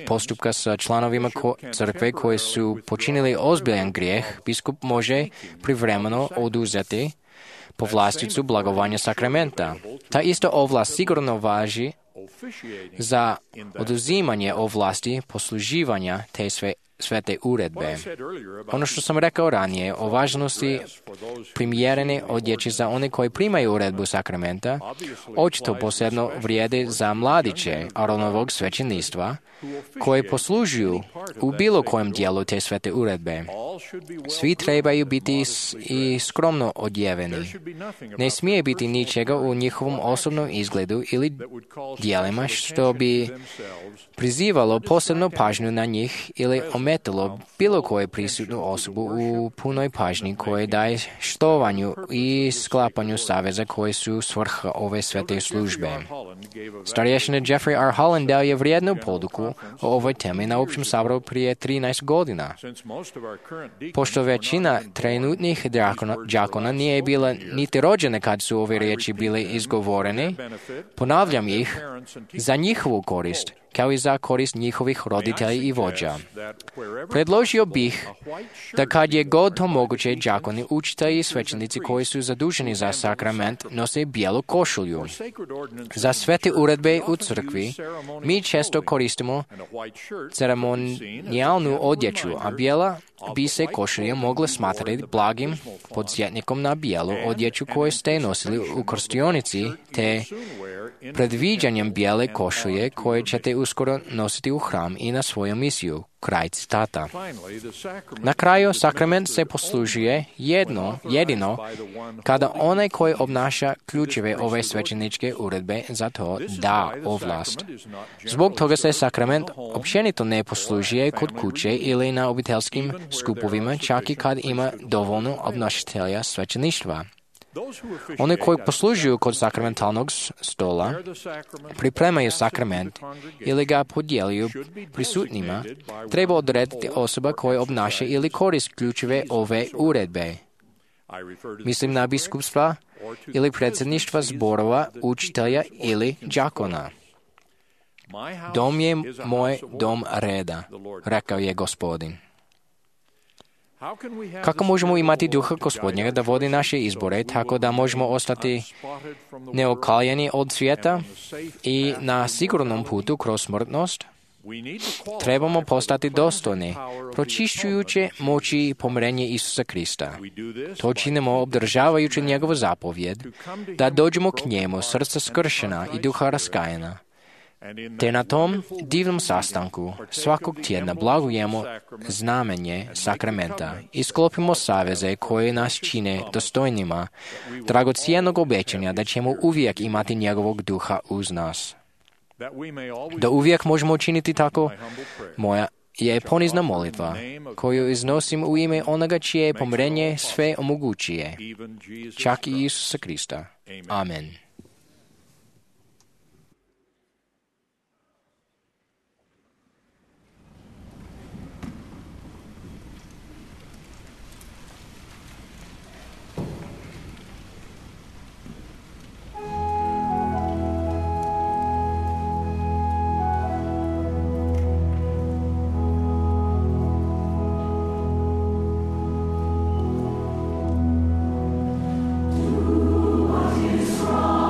S2: postupka sa članovima ko, crkve koji su počinili ozbiljan grijeh, biskup može privremeno oduzeti povlasticu blagovanja sakramenta. Ta isto ovlast sigurno važi za oduzimanje ovlasti posluživanja te sve, svete uredbe. Ono što sam rekao ranije o važnosti primjerene odjeće za one koji primaju uredbu sakramenta, očito posebno vrijede za mladiće Aronovog svećeništva koji poslužuju u bilo kojem dijelu te svete uredbe. Svi trebaju biti i skromno odjeveni. Ne smije biti ničega u njihovom osobnom izgledu ili dijelima što bi prizivalo posebnu pažnju na njih ili ometalo bilo koju prisutnu osobu u punoj pažnji koje daje štovanju i sklapanju saveza koji su svrha ove svete službe. Starješina Jeffrey R. Holland dao je vrijednu poduku o ovoj temi na općem saboru prije trinaest godina. Pošto većina trenutnih đakona nije bila niti rođene kad su ove riječi bile izgovorene, ponavljam ih za njihovu korist, kao i za korist njihovih roditelja i vođa. Predložio bih da kad je god to moguće, đakoni, učitelji i svećenici koji su zaduženi za sakrament nose bijelu košulju. Za svete uredbe u crkvi mi često koristimo ceremonijalnu odjeću, a bijela bi se košulja mogla smatrati blagim podsjetnikom na bijelu odjeću koju ste nosili u krstionici, te predviđanjem bijele košulje koje ćete uskoro nositi u hram i na svoju misiju. Kraj citata. Na kraju, sakrament se poslužuje jedno, jedino kada onaj koji obnaša ključeve ove svećeničke uredbe za to da ovlast. Zbog toga se sakrament općenito ne poslužuje kod kuće ili na obiteljskim skupovima, čak i kad ima dovoljno obnašatelja svećeništva. Oni koji poslužuju kod sakramentalnog stola, pripremaju sakrament ili ga podjeljuju prisutnima, treba odrediti osoba koja obnaša ili koristi ključeve ove uredbe. Mislim na biskupstva ili predsjedništva zborova, učitelja ili đakona. Dom je moj dom reda, rekao je Gospodin. Kako možemo imati duha Gospodnjega da vodi naše izbore tako da možemo ostati neokaljeni od svijeta i na sigurnom putu kroz smrtnost? Trebamo postati dostojni, pročišćujuće moći i pomirenje Isusa Krista. To činimo obdržavajući njegovu zapovjed, da dođemo k njemu srca skršena i duha raskajana. Te na tom divnom sastanku svakog tjedna blagujemo znamenje sakramenta i sklopimo saveze koje nas čine dostojnima dragocjenog obećanja da ćemo uvijek imati njegovog duha uz nas. Da uvijek možemo učiniti tako, moja je ponizna molitva koju iznosim u ime onoga čije pomirenje sve omogućuje, čak i Isusa Krista. Amen.
S10: Strong.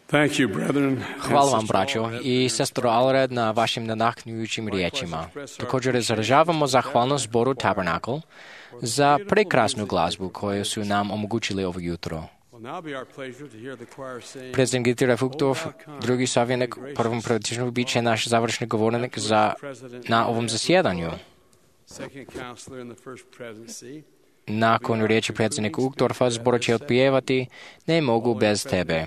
S7: Thank you, brethren.
S2: Hvala vam, braćo i sestro Alred, na vašim nadahnujućim riječima. Također izražavamo zahvalnost zboru Tabernacle za prekrasnu glazbu koju su nam omogućili ovo jutro. Predsjednik Dieter Fuchthof, drugi savjetnik prvom prevodiču, bit će naš završni govornik za, na ovom zasjedanju. Nakon riječi predsjednika Uchtdorfa, zbor će otpjevati Ne mogu bez tebe.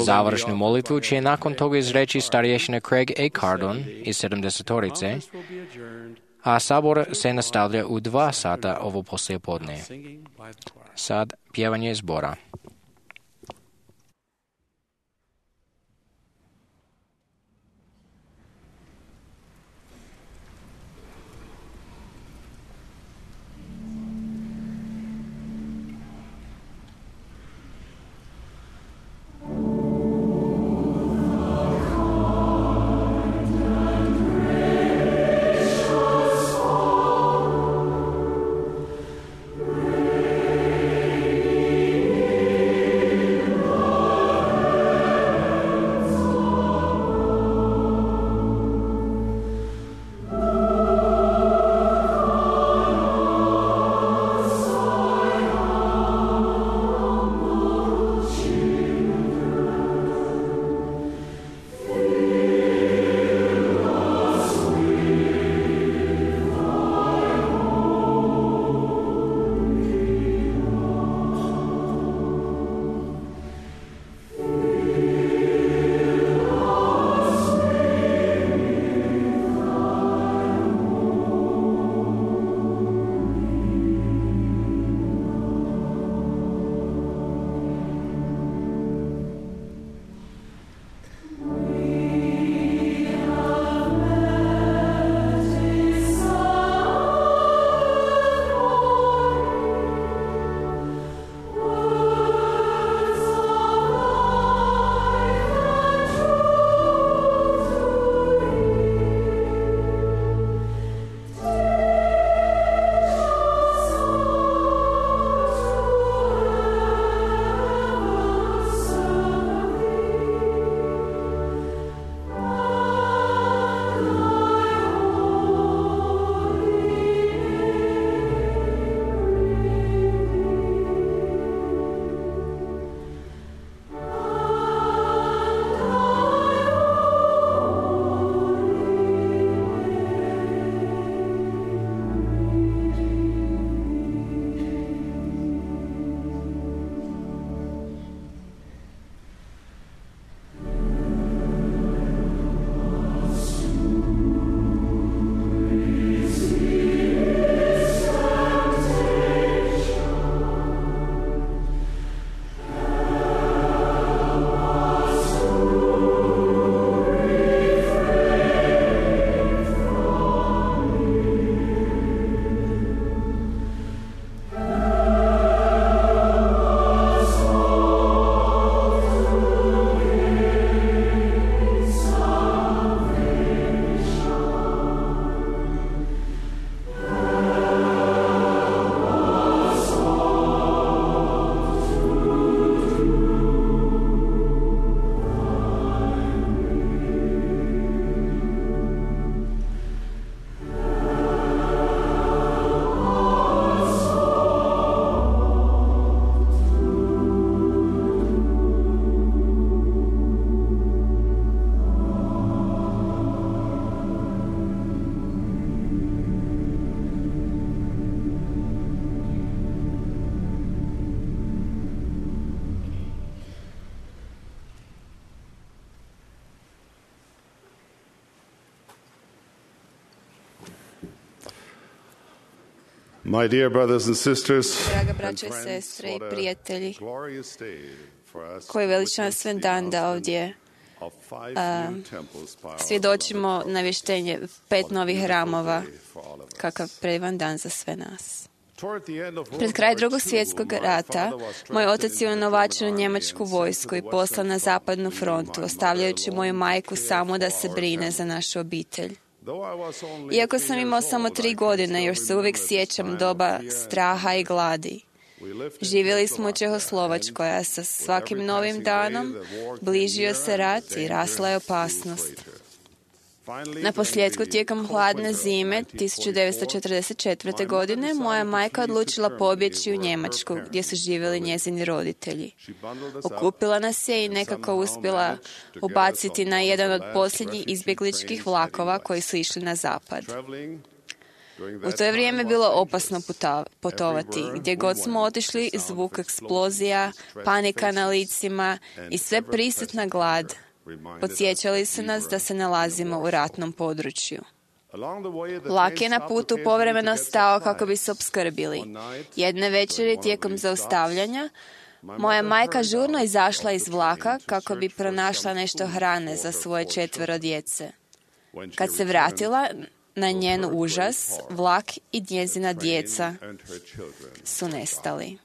S2: Završnu molitvu će nakon toga izreći starješina Craig A. Cardon iz sedamdesetorice, a sabor se nastavlja u dva sata ovo poslijepodne. Sad pjevanje zbora.
S10: My dear brothers and sisters,
S9: Draga braćo i sestre i prijatelji, koji veličanstven dan da ovdje a, svjedočimo navještenje pet novih hramova, kakav predivan dan za sve nas. Pred kraj drugog svjetskog rata, moj otac je unovačen u njemačku vojsku i poslan na zapadnu frontu, ostavljajući moju majku samo da se brine za našu obitelj. Iako sam imao samo tri godine, još se uvijek sjećam doba straha i gladi. Živjeli smo u Čehoslovačkoj, a sa svakim novim danom bližio se rat i rasla je opasnost. Na posljedku, tijekom hladne zime tisuću devetsto četrdeset četvrte. godine, moja majka odlučila pobjeći u Njemačku, gdje su živjeli njezini roditelji. Okupila nas je i nekako uspjela ubaciti na jedan od posljednjih izbjegličkih vlakova koji su išli na zapad. U to je vrijeme bilo opasno putovati. Gdje god smo otišli, zvuk eksplozija, panika na licima i sve prisutna glad podsjećali su nas da se nalazimo u ratnom području. Vlak je na putu povremeno stao kako bi se opskrbili. Jedne večeri tijekom zaustavljanja, moja majka žurno izašla iz vlaka kako bi pronašla nešto hrane za svoje četvero djece. Kad se vratila, na njen užas, vlak i njezina djeca su nestali.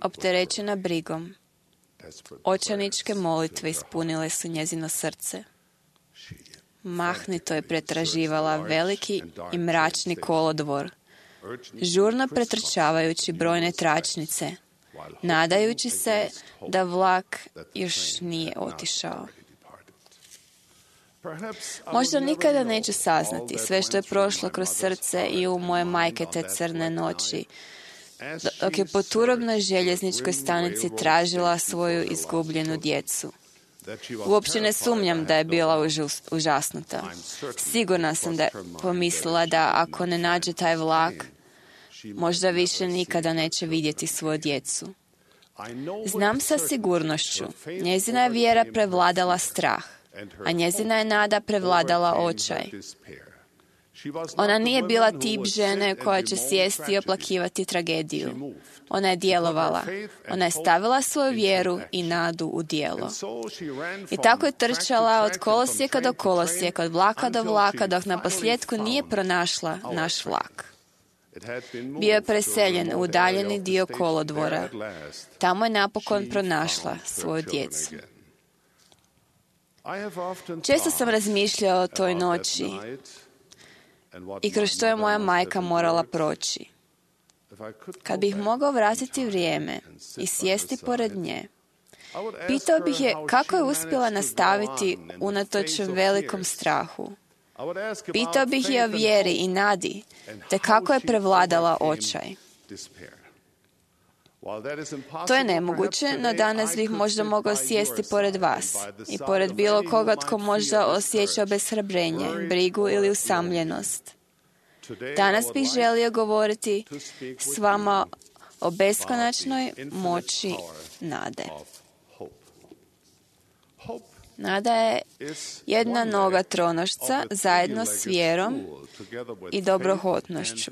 S9: Opterećena brigom, očajničke molitve ispunile su njezino srce. Mahnito je pretraživala veliki i mračni kolodvor, žurno pretrčavajući brojne tračnice, nadajući se da vlak još nije otišao. Možda nikada neću saznati sve što je prošlo kroz srce i u moje majke te crne noći, dok je po turobnoj željezničkoj stanici tražila svoju izgubljenu djecu. Uopće ne sumnjam da je bila užas, užasnuta. Sigurna sam da je pomislila da ako ne nađe taj vlak, možda više nikada neće vidjeti svoju djecu. Znam sa sigurnošću, njezina je vjera prevladala strah, a njezina je nada prevladala očaj. Ona nije bila tip žene koja će sjesti i oplakivati tragediju. Ona je djelovala. Ona je stavila svoju vjeru i nadu u djelo. I tako je trčala od kolosijeka do kolosijeka, od vlaka do vlaka, dok na posljedku nije pronašla naš vlak. Bio je preseljen u udaljeni dio kolodvora. Tamo je napokon pronašla svoju djecu. Često sam razmišljao o toj noći i kroz što je moja majka morala proći. Kad bih mogao vratiti vrijeme i sjesti pored nje, pitao bih je kako je uspjela nastaviti unatoč velikom strahu. Pitao bih je o vjeri i nadi, te kako je prevladala očaj. To je nemoguće, no danas bih možda mogao sjesti pored vas i pored bilo koga tko možda osjeća obeshrabrenje, brigu ili usamljenost. Danas bih želio govoriti s vama o beskonačnoj moći nade. Nada je jedna noga tronošca zajedno s vjerom i dobrohotnošću.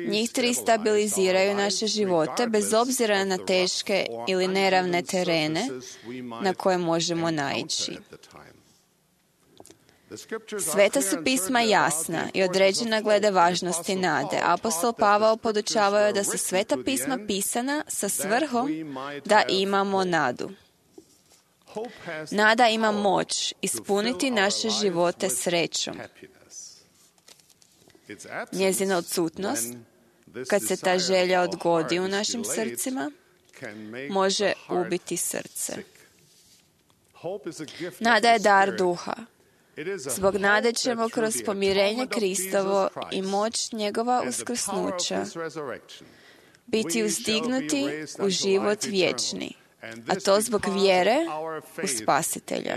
S9: Njih tri stabiliziraju naše živote bez obzira na teške ili neravne terene na koje možemo naići. Sveta su pisma jasna i određena glede važnosti nade. Apostol Pavao podučavao je da su sveta pisma pisana sa svrhom da imamo nadu. Nada ima moć ispuniti naše živote srećom. Njezina odsutnost, kad se ta želja odgodi u našim srcima, može ubiti srce. Nada je dar duha. Zbog nade ćemo kroz pomirenje Kristovo i moć njegova uskrsnuća biti uzdignuti u život vječni, a to zbog vjere u Spasitelja.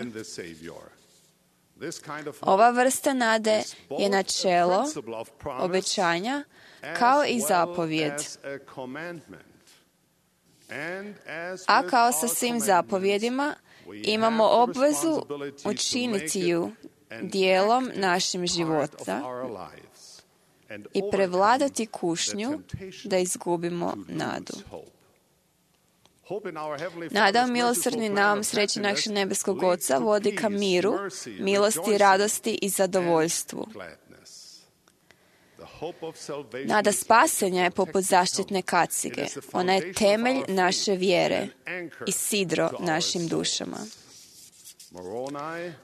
S9: Ova vrsta nade je načelo, obećanja, kao i zapovjed. A kao sa svim zapovjedima, imamo obvezu učiniti ju dijelom našim života i prevladati kušnju da izgubimo nadu. Nada u milosrdni nam sreći našeg nebeskog Oca vodi ka miru, milosti, radosti i zadovoljstvu. Nada spasenja je poput zaštitne kacige. Ona je temelj naše vjere i sidro našim dušama.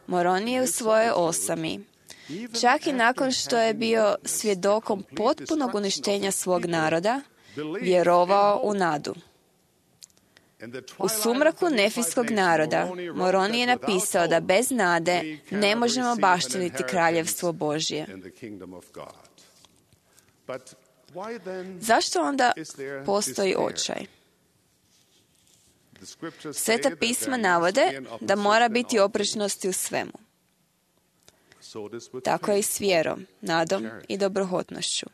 S9: Moroni je u svojoj osami, čak i nakon što je bio svjedokom potpunog uništenja svog naroda, vjerovao u nadu. U sumraku nefijskog naroda, Moroni je napisao da bez nade ne možemo baštiniti kraljevstvo Božje. Zašto onda postoji očaj? Sveta pisma navode da mora biti oprečnosti u svemu. Tako je i s vjerom, nadom i dobrohotnošću.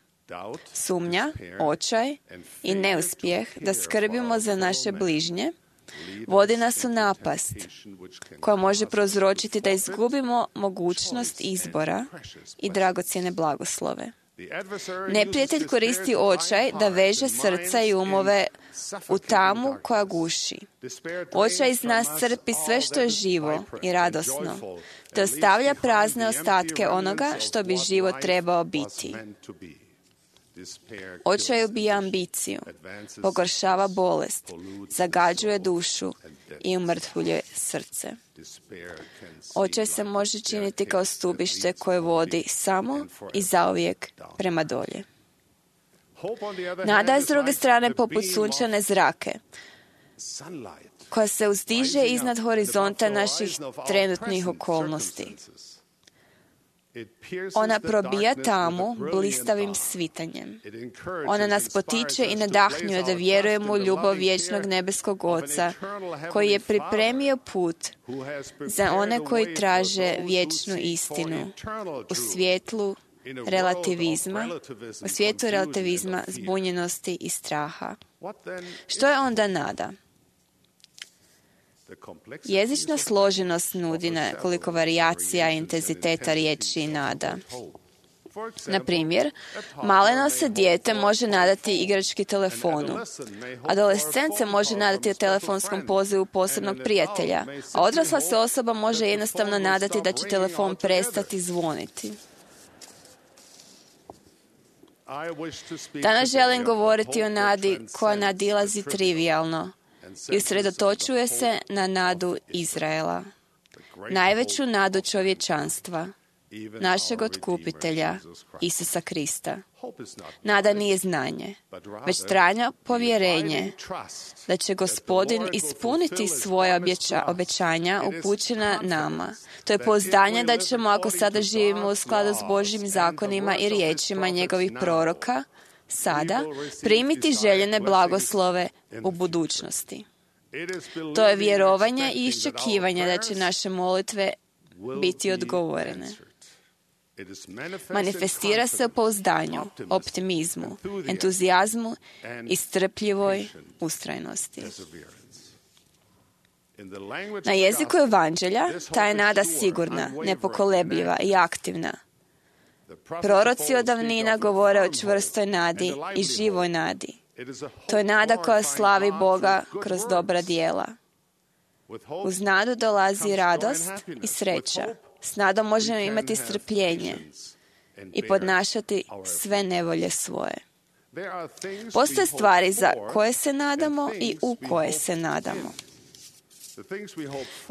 S9: Sumnja, očaj i neuspjeh da skrbimo za naše bližnje vodi nas u napast koja može prouzročiti da izgubimo mogućnost izbora i dragocjene blagoslove. Neprijatelj koristi očaj da veže srca i umove u tamu koja guši. Očaj iz nas crpi sve što je živo i radosno, te ostavlja prazne ostatke onoga što bi život trebao biti. Očaj ubija ambiciju, pogoršava bolest, zagađuje dušu i umrtvljuje srce. Očaj se može činiti kao stubište koje vodi samo i zauvijek prema dolje. Nada je s druge strane poput sunčane zrake, koja se uzdiže iznad horizonta naših trenutnih okolnosti. Ona probija tamu blistavim svitanjem. Ona nas potiče i nadahnjuje da vjerujemo u ljubav vječnog nebeskog Oca, koji je pripremio put za one koji traže vječnu istinu u svijetlu relativizma, u svijetu relativizma, zbunjenosti i straha. Što je onda nada? Jezična složenost nudi nekoliko varijacija i intenziteta riječi i nada. Na primjer, maleno se dijete može nadati igrački telefonu, adolescent se može nadati telefonskom pozivu posebnog prijatelja, a odrasla se osoba može jednostavno nadati da će telefon prestati zvoniti. Danas želim govoriti o nadi koja nadilazi trivijalno i usredotočuje se na nadu Izraela, najveću nadu čovječanstva, našeg otkupitelja, Isusa Krista. Nada nije znanje, već trajno povjerenje da će Gospodin ispuniti svoje objeća, obećanja upućena nama. To je pouzdanje da ćemo, ako sada živimo u skladu s Božjim zakonima i riječima njegovih proroka, sada primiti željene blagoslove u budućnosti. To je vjerovanje i iščekivanje da će naše molitve biti odgovorene. Manifestira se u pouzdanju, optimizmu, entuzijazmu i strpljivoj ustrajnosti. Na jeziku evanđelja ta je nada sigurna, nepokolebljiva i aktivna. Proroci od davnina govore o čvrstoj nadi i živoj nadi. To je nada koja slavi Boga kroz dobra djela. Uz nadu dolazi radost i sreća. S nadom možemo imati strpljenje i podnašati sve nevolje svoje. Postoje stvari za koje se nadamo i u koje se nadamo.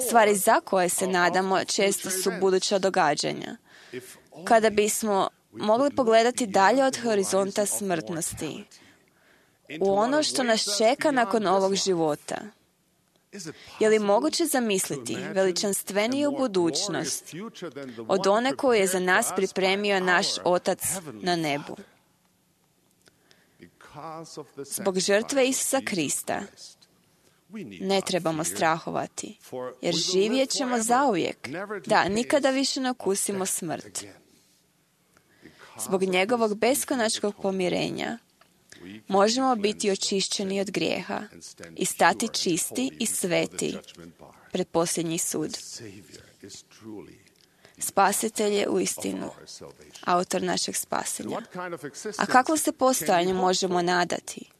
S9: Stvari za koje se nadamo često su buduća događanja. Kada bismo mogli pogledati dalje od horizonta smrtnosti, u ono što nas čeka nakon ovog života, je li moguće zamisliti veličanstveniju budućnost od one koju je za nas pripremio naš Otac na nebu? Zbog žrtve Isusa Krista ne trebamo strahovati, jer živjet ćemo zauvijek, da nikada više ne okusimo smrt. Zbog njegovog beskonačnog pomirenja možemo biti očišćeni od grijeha i stati čisti i sveti pred posljednji sud. Spasitelj je uistinu autor našeg spasenja. A kakvo se postojanje možemo nadati?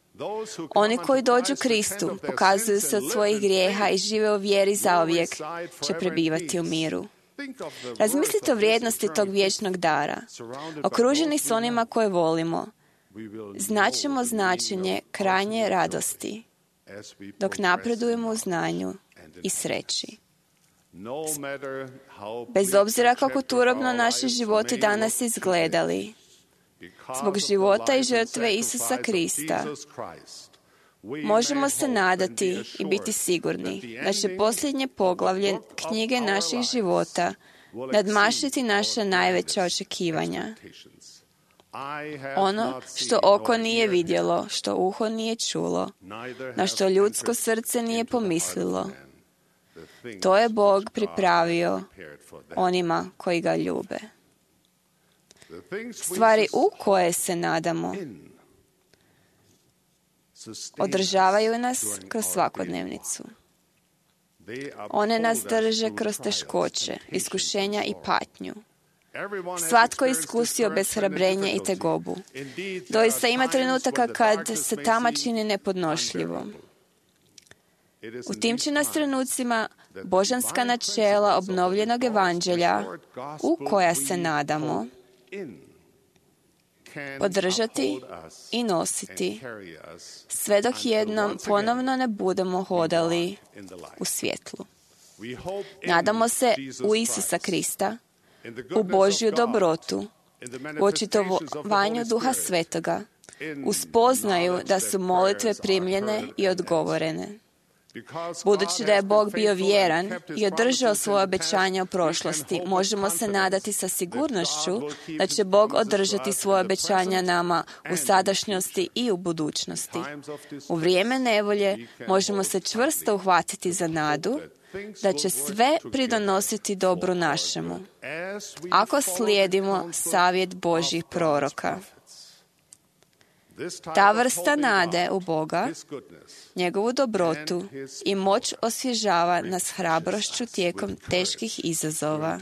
S9: Oni koji dođu Kristu, pokazuju se od svojih grijeha i žive u vjeri zauvijek, će prebivati u miru. Razmislite o vrijednosti tog vječnog dara. Okruženi s onima koje volimo, znaćemo značenje krajnje radosti, dok napredujemo u znanju i sreći. Bez obzira kako turobno naši životi danas izgledali, zbog života i žrtve Isusa Krista, možemo se nadati i biti sigurni da će posljednje poglavlje knjige naših života nadmašiti naša najveća očekivanja. Ono što oko nije vidjelo, što uho nije čulo, na što ljudsko srce nije pomislilo, to je Bog pripravio onima koji ga ljube. Stvari u koje se nadamo održavaju nas kroz svakodnevnicu. One nas drže kroz teškoće, iskušenja i patnju. Svatko je iskusio bezhrabrenje i tegobu. Doista ima trenutaka kad se tama čini nepodnošljivom. U tim će nas trenucima božanska načela obnovljenog evanđelja, u koja se nadamo, podržati i nositi, sve dok jednom ponovno ne budemo hodali u svjetlu. Nadamo se u Isusa Krista, u Božju dobrotu, u očitovanju Duha Svetoga, u spoznaju da su molitve primljene i odgovorene. Budući da je Bog bio vjeran i održao svoje obećanje u prošlosti, možemo se nadati sa sigurnošću da će Bog održati svoje obećanja nama u sadašnjosti i u budućnosti. U vrijeme nevolje možemo se čvrsto uhvatiti za nadu da će sve pridonositi dobru našemu, ako slijedimo savjet Božjih proroka. Ta vrsta nade u Boga, njegovu dobrotu i moć osvježava nas hrabrošću tijekom teških izazova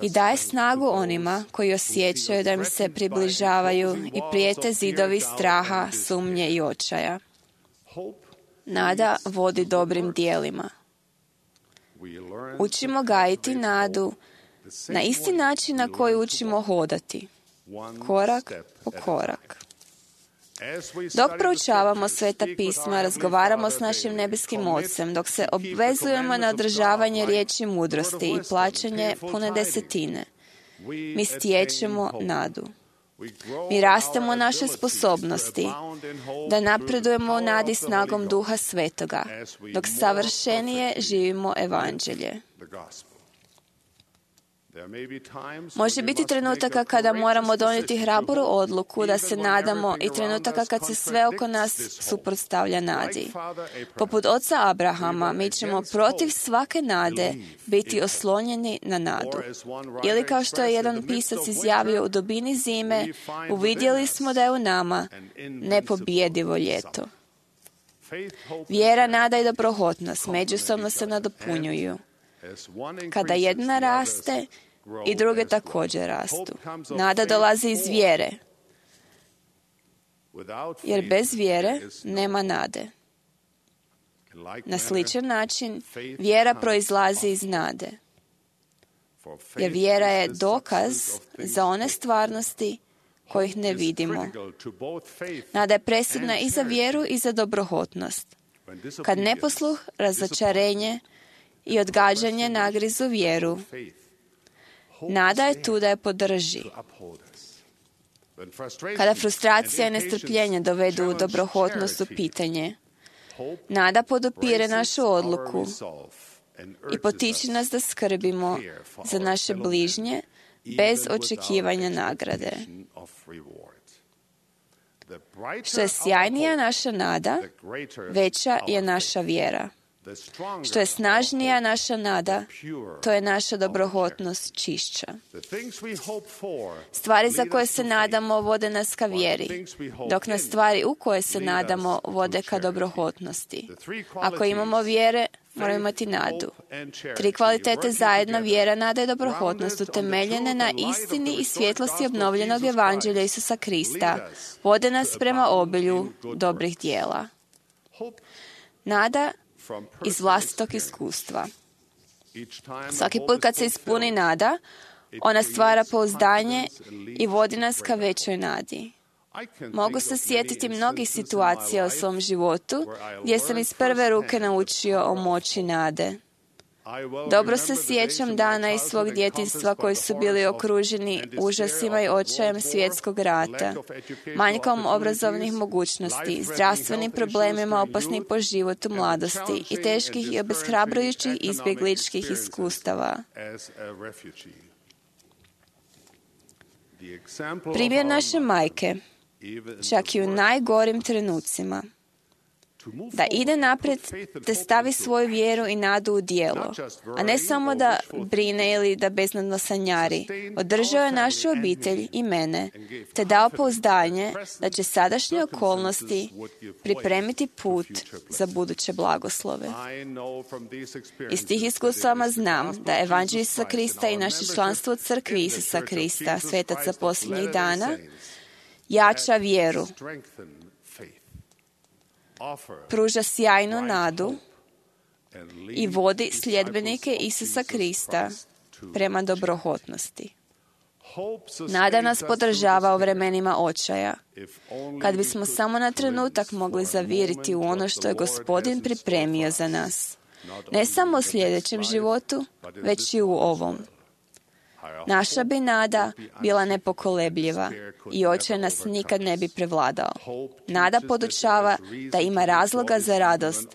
S9: i daje snagu onima koji osjećaju da im se približavaju i prijete zidovi straha, sumnje i očaja. Nada vodi dobrim dijelima. Učimo gajiti nadu na isti način na koji učimo hodati, korak po korak. Dok proučavamo Sveta pisma, razgovaramo s našim nebeskim Ocem, dok se obvezujemo na održavanje riječi mudrosti i plaćanje pune desetine, mi stječemo nadu. Mi rastemo naše sposobnosti da napredujemo u nadi snagom Duha Svetoga, dok savršenije živimo evanđelje. Može biti trenutaka kada moramo donijeti hrabru odluku da se nadamo i trenutaka kad se sve oko nas suprotstavlja nadi. Poput oca Abrahama, mi ćemo protiv svake nade biti oslonjeni na nadu. Ili kao što je jedan pisac izjavio, u dubini zime uvidjeli smo da je u nama nepobjedivo ljeto. Vjera, nada i dobrohotnost međusobno se nadopunjuju. Kada jedna raste, i druge također rastu. Nada dolazi iz vjere, jer bez vjere nema nade. Na sličan način, vjera proizlazi iz nade, jer vjera je dokaz za one stvarnosti kojih ne vidimo. Nada je presudna i za vjeru i za dobrohotnost. Kad neposluh, razočarenje i odgađanje nagrizu vjeru, nada je tu da je podrži. Kada frustracija i nestrpljenje dovedu u dobrohotnost u pitanje, nada podupire našu odluku i potiče nas da skrbimo za naše bližnje bez očekivanja nagrade. Što je sjajnija naša nada, veća je naša vjera. Što je snažnija naša nada, to je naša dobrohotnost čišća. Stvari za koje se nadamo vode nas ka vjeri, dok nas stvari u koje se nadamo vode ka dobrohotnosti. Ako imamo vjere, moramo imati nadu. Tri kvalitete zajedno, vjera, nada i dobrohotnost, utemeljene na istini i svjetlosti obnovljenog evanđelja Isusa Krista, vode nas prema obilju dobrih dijela. Nada iz vlastitog iskustva. Svaki put kad se ispuni nada, ona stvara pouzdanje i vodi nas ka većoj nadi. Mogu se sjetiti mnogih situacija u svom životu gdje sam iz prve ruke naučio o moći nade. Dobro se sjećam dana iz svog djetinjstva koji su bili okruženi užasima i očajem svjetskog rata, manjkom obrazovnih mogućnosti, zdravstvenim problemima opasnih po životu mladosti i teških i obeshrabrujućih izbjegličkih iskustava. Primjer naše majke, čak i u najgorim trenucima, da ide naprijed te stavi svoju vjeru i nadu u djelo, a ne samo da brine ili da beznadno sanjari. Održao je našu obitelj i mene, te dao pouzdanje da će sadašnje okolnosti pripremiti put za buduće blagoslove. Iz tih iskustava znam da evanđelje Isusa Krista i naše članstvo u crkvi Isusa Krista, svetaca posljednjih dana, jača vjeru, pruža sjajnu nadu i vodi sljedbenike Isusa Krista prema dobrohotnosti. Nada nas podržava u vremenima očaja. Kad bismo samo na trenutak mogli zaviriti u ono što je Gospodin pripremio za nas, ne samo u sljedećem životu, već i u ovom. Naša bi nada bila nepokolebljiva i očaj nas nikad ne bi prevladao. Nada podučava da ima razloga za radost,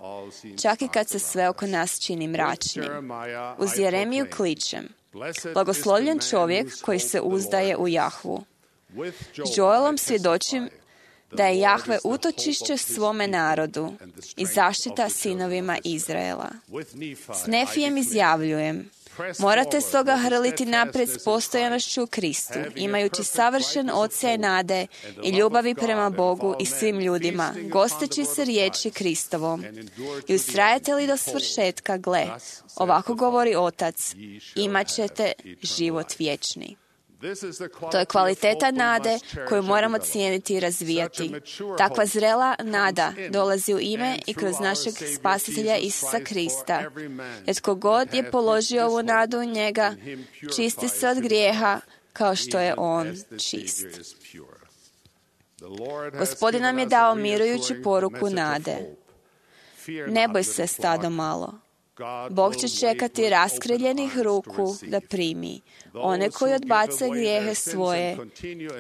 S9: čak i kad se sve oko nas čini mračnim. Uz Jeremiju kličem: blagoslovljen čovjek koji se uzdaje u Jahvu. S Joelom svjedočim da je Jahve utočišće svome narodu i zaštita sinovima Izraela. S Nefijem izjavljujem: morate stoga hrliti naprijed s postojanošću u Kristu, imajući savršen odsjaj nade i ljubavi prema Bogu i svim ljudima, gosteći se riječi Kristovom. I ustrajete li do svršetka, gle, ovako govori Otac, imat ćete život vječni. To je kvaliteta nade koju moramo cijeniti i razvijati. Takva zrela nada dolazi u ime i kroz našeg Spasitelja Isusa Krista. Jer tko god je položio ovu nadu u njega, čisti se od grijeha kao što je on čist. Gospodin nam je dao mirujuću poruku nade. Ne boj se, stado malo. Bog će čekati raskriljenih ruku da primi one koji odbace grijehe svoje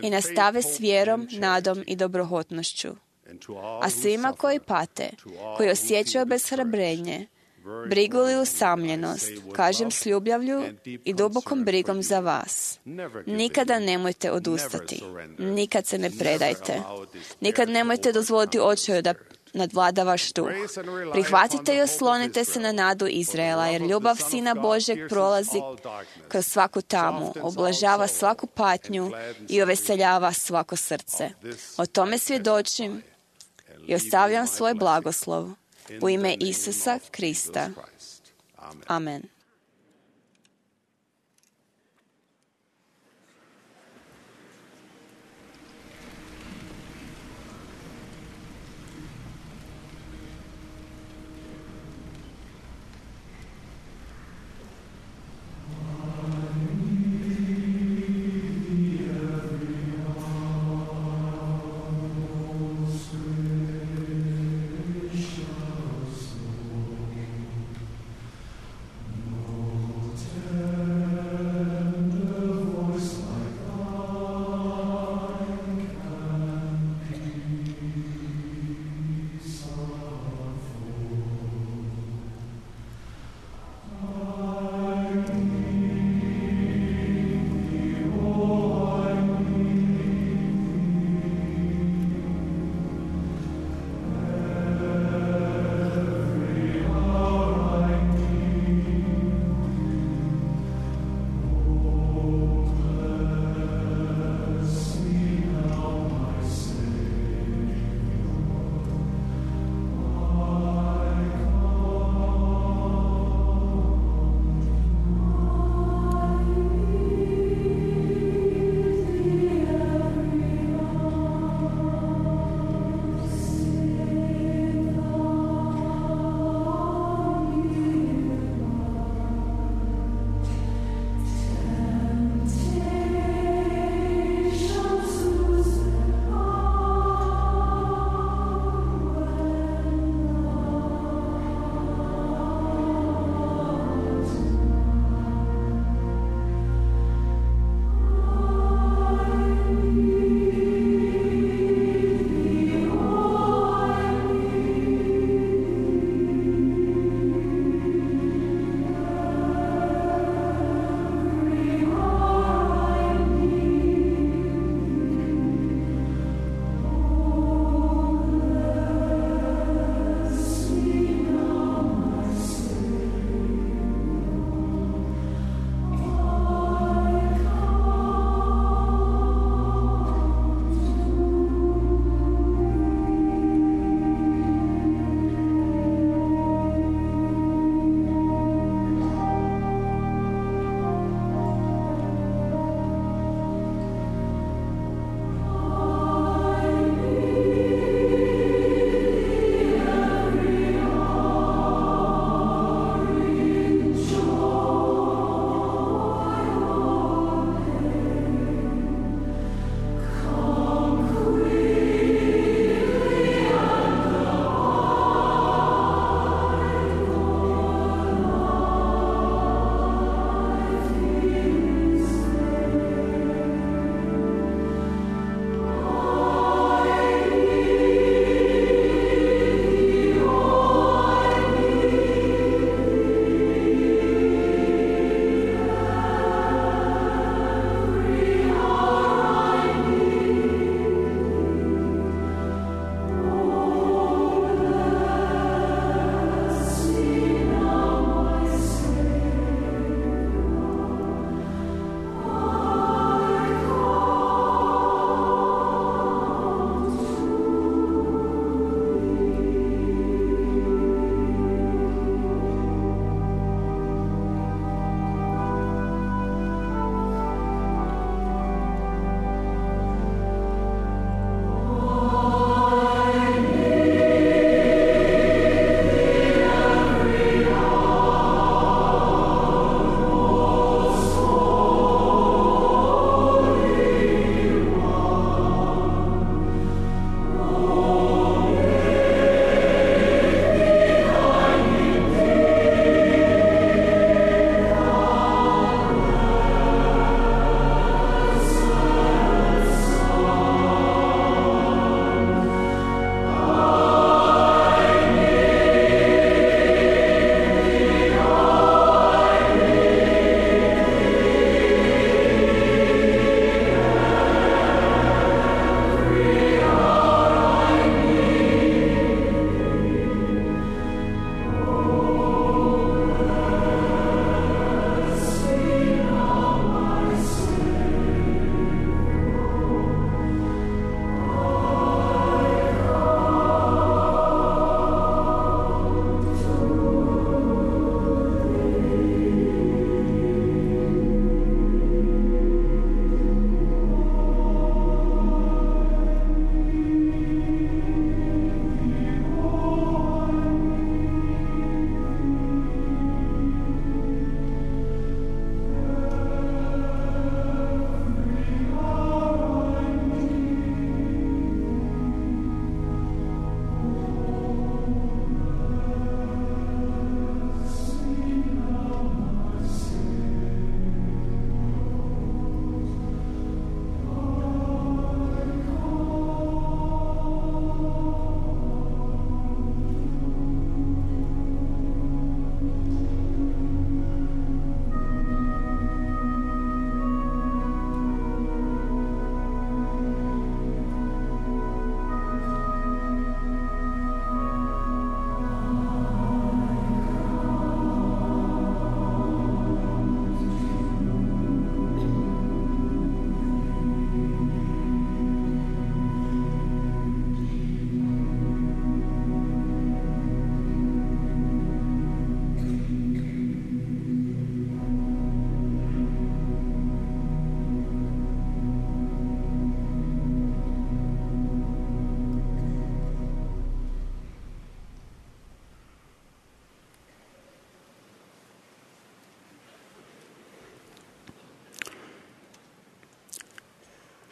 S9: i nastave s vjerom, nadom i dobrohotnošću. A svima koji pate, koji osjećaju obeshrabrenje, brigu ili usamljenost, kažem s ljubavlju i dubokom brigom za vas. Nikada nemojte odustati. Nikad se ne predajte. Nikad nemojte dozvoliti očaju da nadvlada vaš duh. Prihvatite i oslonite se na nadu Izraela, jer ljubav Sina Božjeg prolazi kroz svaku tamu, oblažava svaku patnju i oveseljava svako srce. O tome svjedočim i ostavljam svoj blagoslov u ime Isusa Krista. Amen.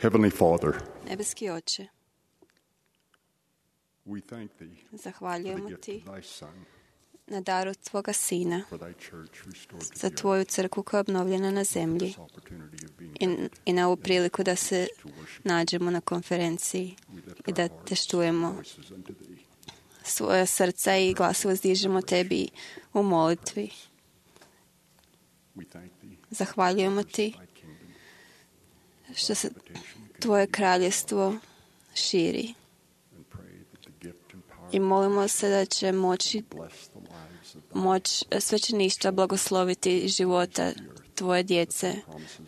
S10: Heavenly Father,
S9: Nebeski Oče,
S10: we thank thee for the
S9: zahvaljujemo
S10: gift
S9: ti
S10: of thy Son,
S9: na daru tvoga Sina,
S10: for thy church restored to
S9: za
S10: the
S9: tvoju crkvu koja je obnovljena na zemlji
S10: earth, opportunity of being
S9: i, i na ovu priliku da se nađemo na konferenciji i da te štujemo
S10: voices unto thee.
S9: svoja srca i glasova zdižemo tebi u molitvi.
S10: We thank thee
S9: Zahvaljujemo ti
S10: thy kingdom,
S9: što se tvoje kraljestvo širi
S10: and pray that the gift and power
S9: i molimo se da će moći
S10: bless the lives of
S9: moć svećeništva blagosloviti života tvoje djece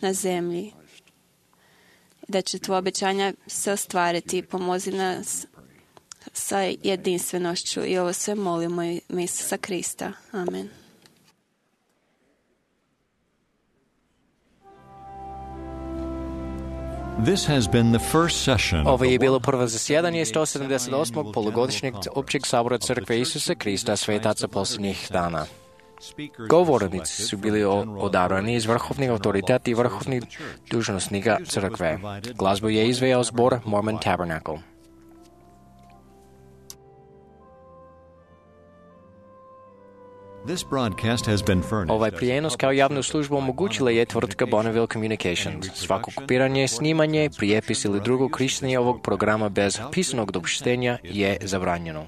S9: na zemlji. Da će tvoje obećanja se ostvariti. Pomozi nas sa jedinstvenošću i ovo sve molimo ime Isusa Krista. Amen.
S1: This has been the first session of
S2: Ovo je
S1: the
S2: bilo prvo zasjedanje sto sedamdeset osmog polugodišnjeg općeg sabora Crkve Isusa Krista Svetaca posljednjih dana. Govornici su bili odabrani iz vrhovnih autoriteta i vrhovnih dužnosnika crkve. Glazbu je izveo zbor Mormon Tabernacle.
S1: This broadcast has been furnished.
S2: Ovaj prijenos kao javnu službu omogućila je tvrtka Bonneville Communications. Svako kopiranje, snimanje, prijepis ili drugo korištenje ovog programa bez pisanog dopuštenja je zabranjeno.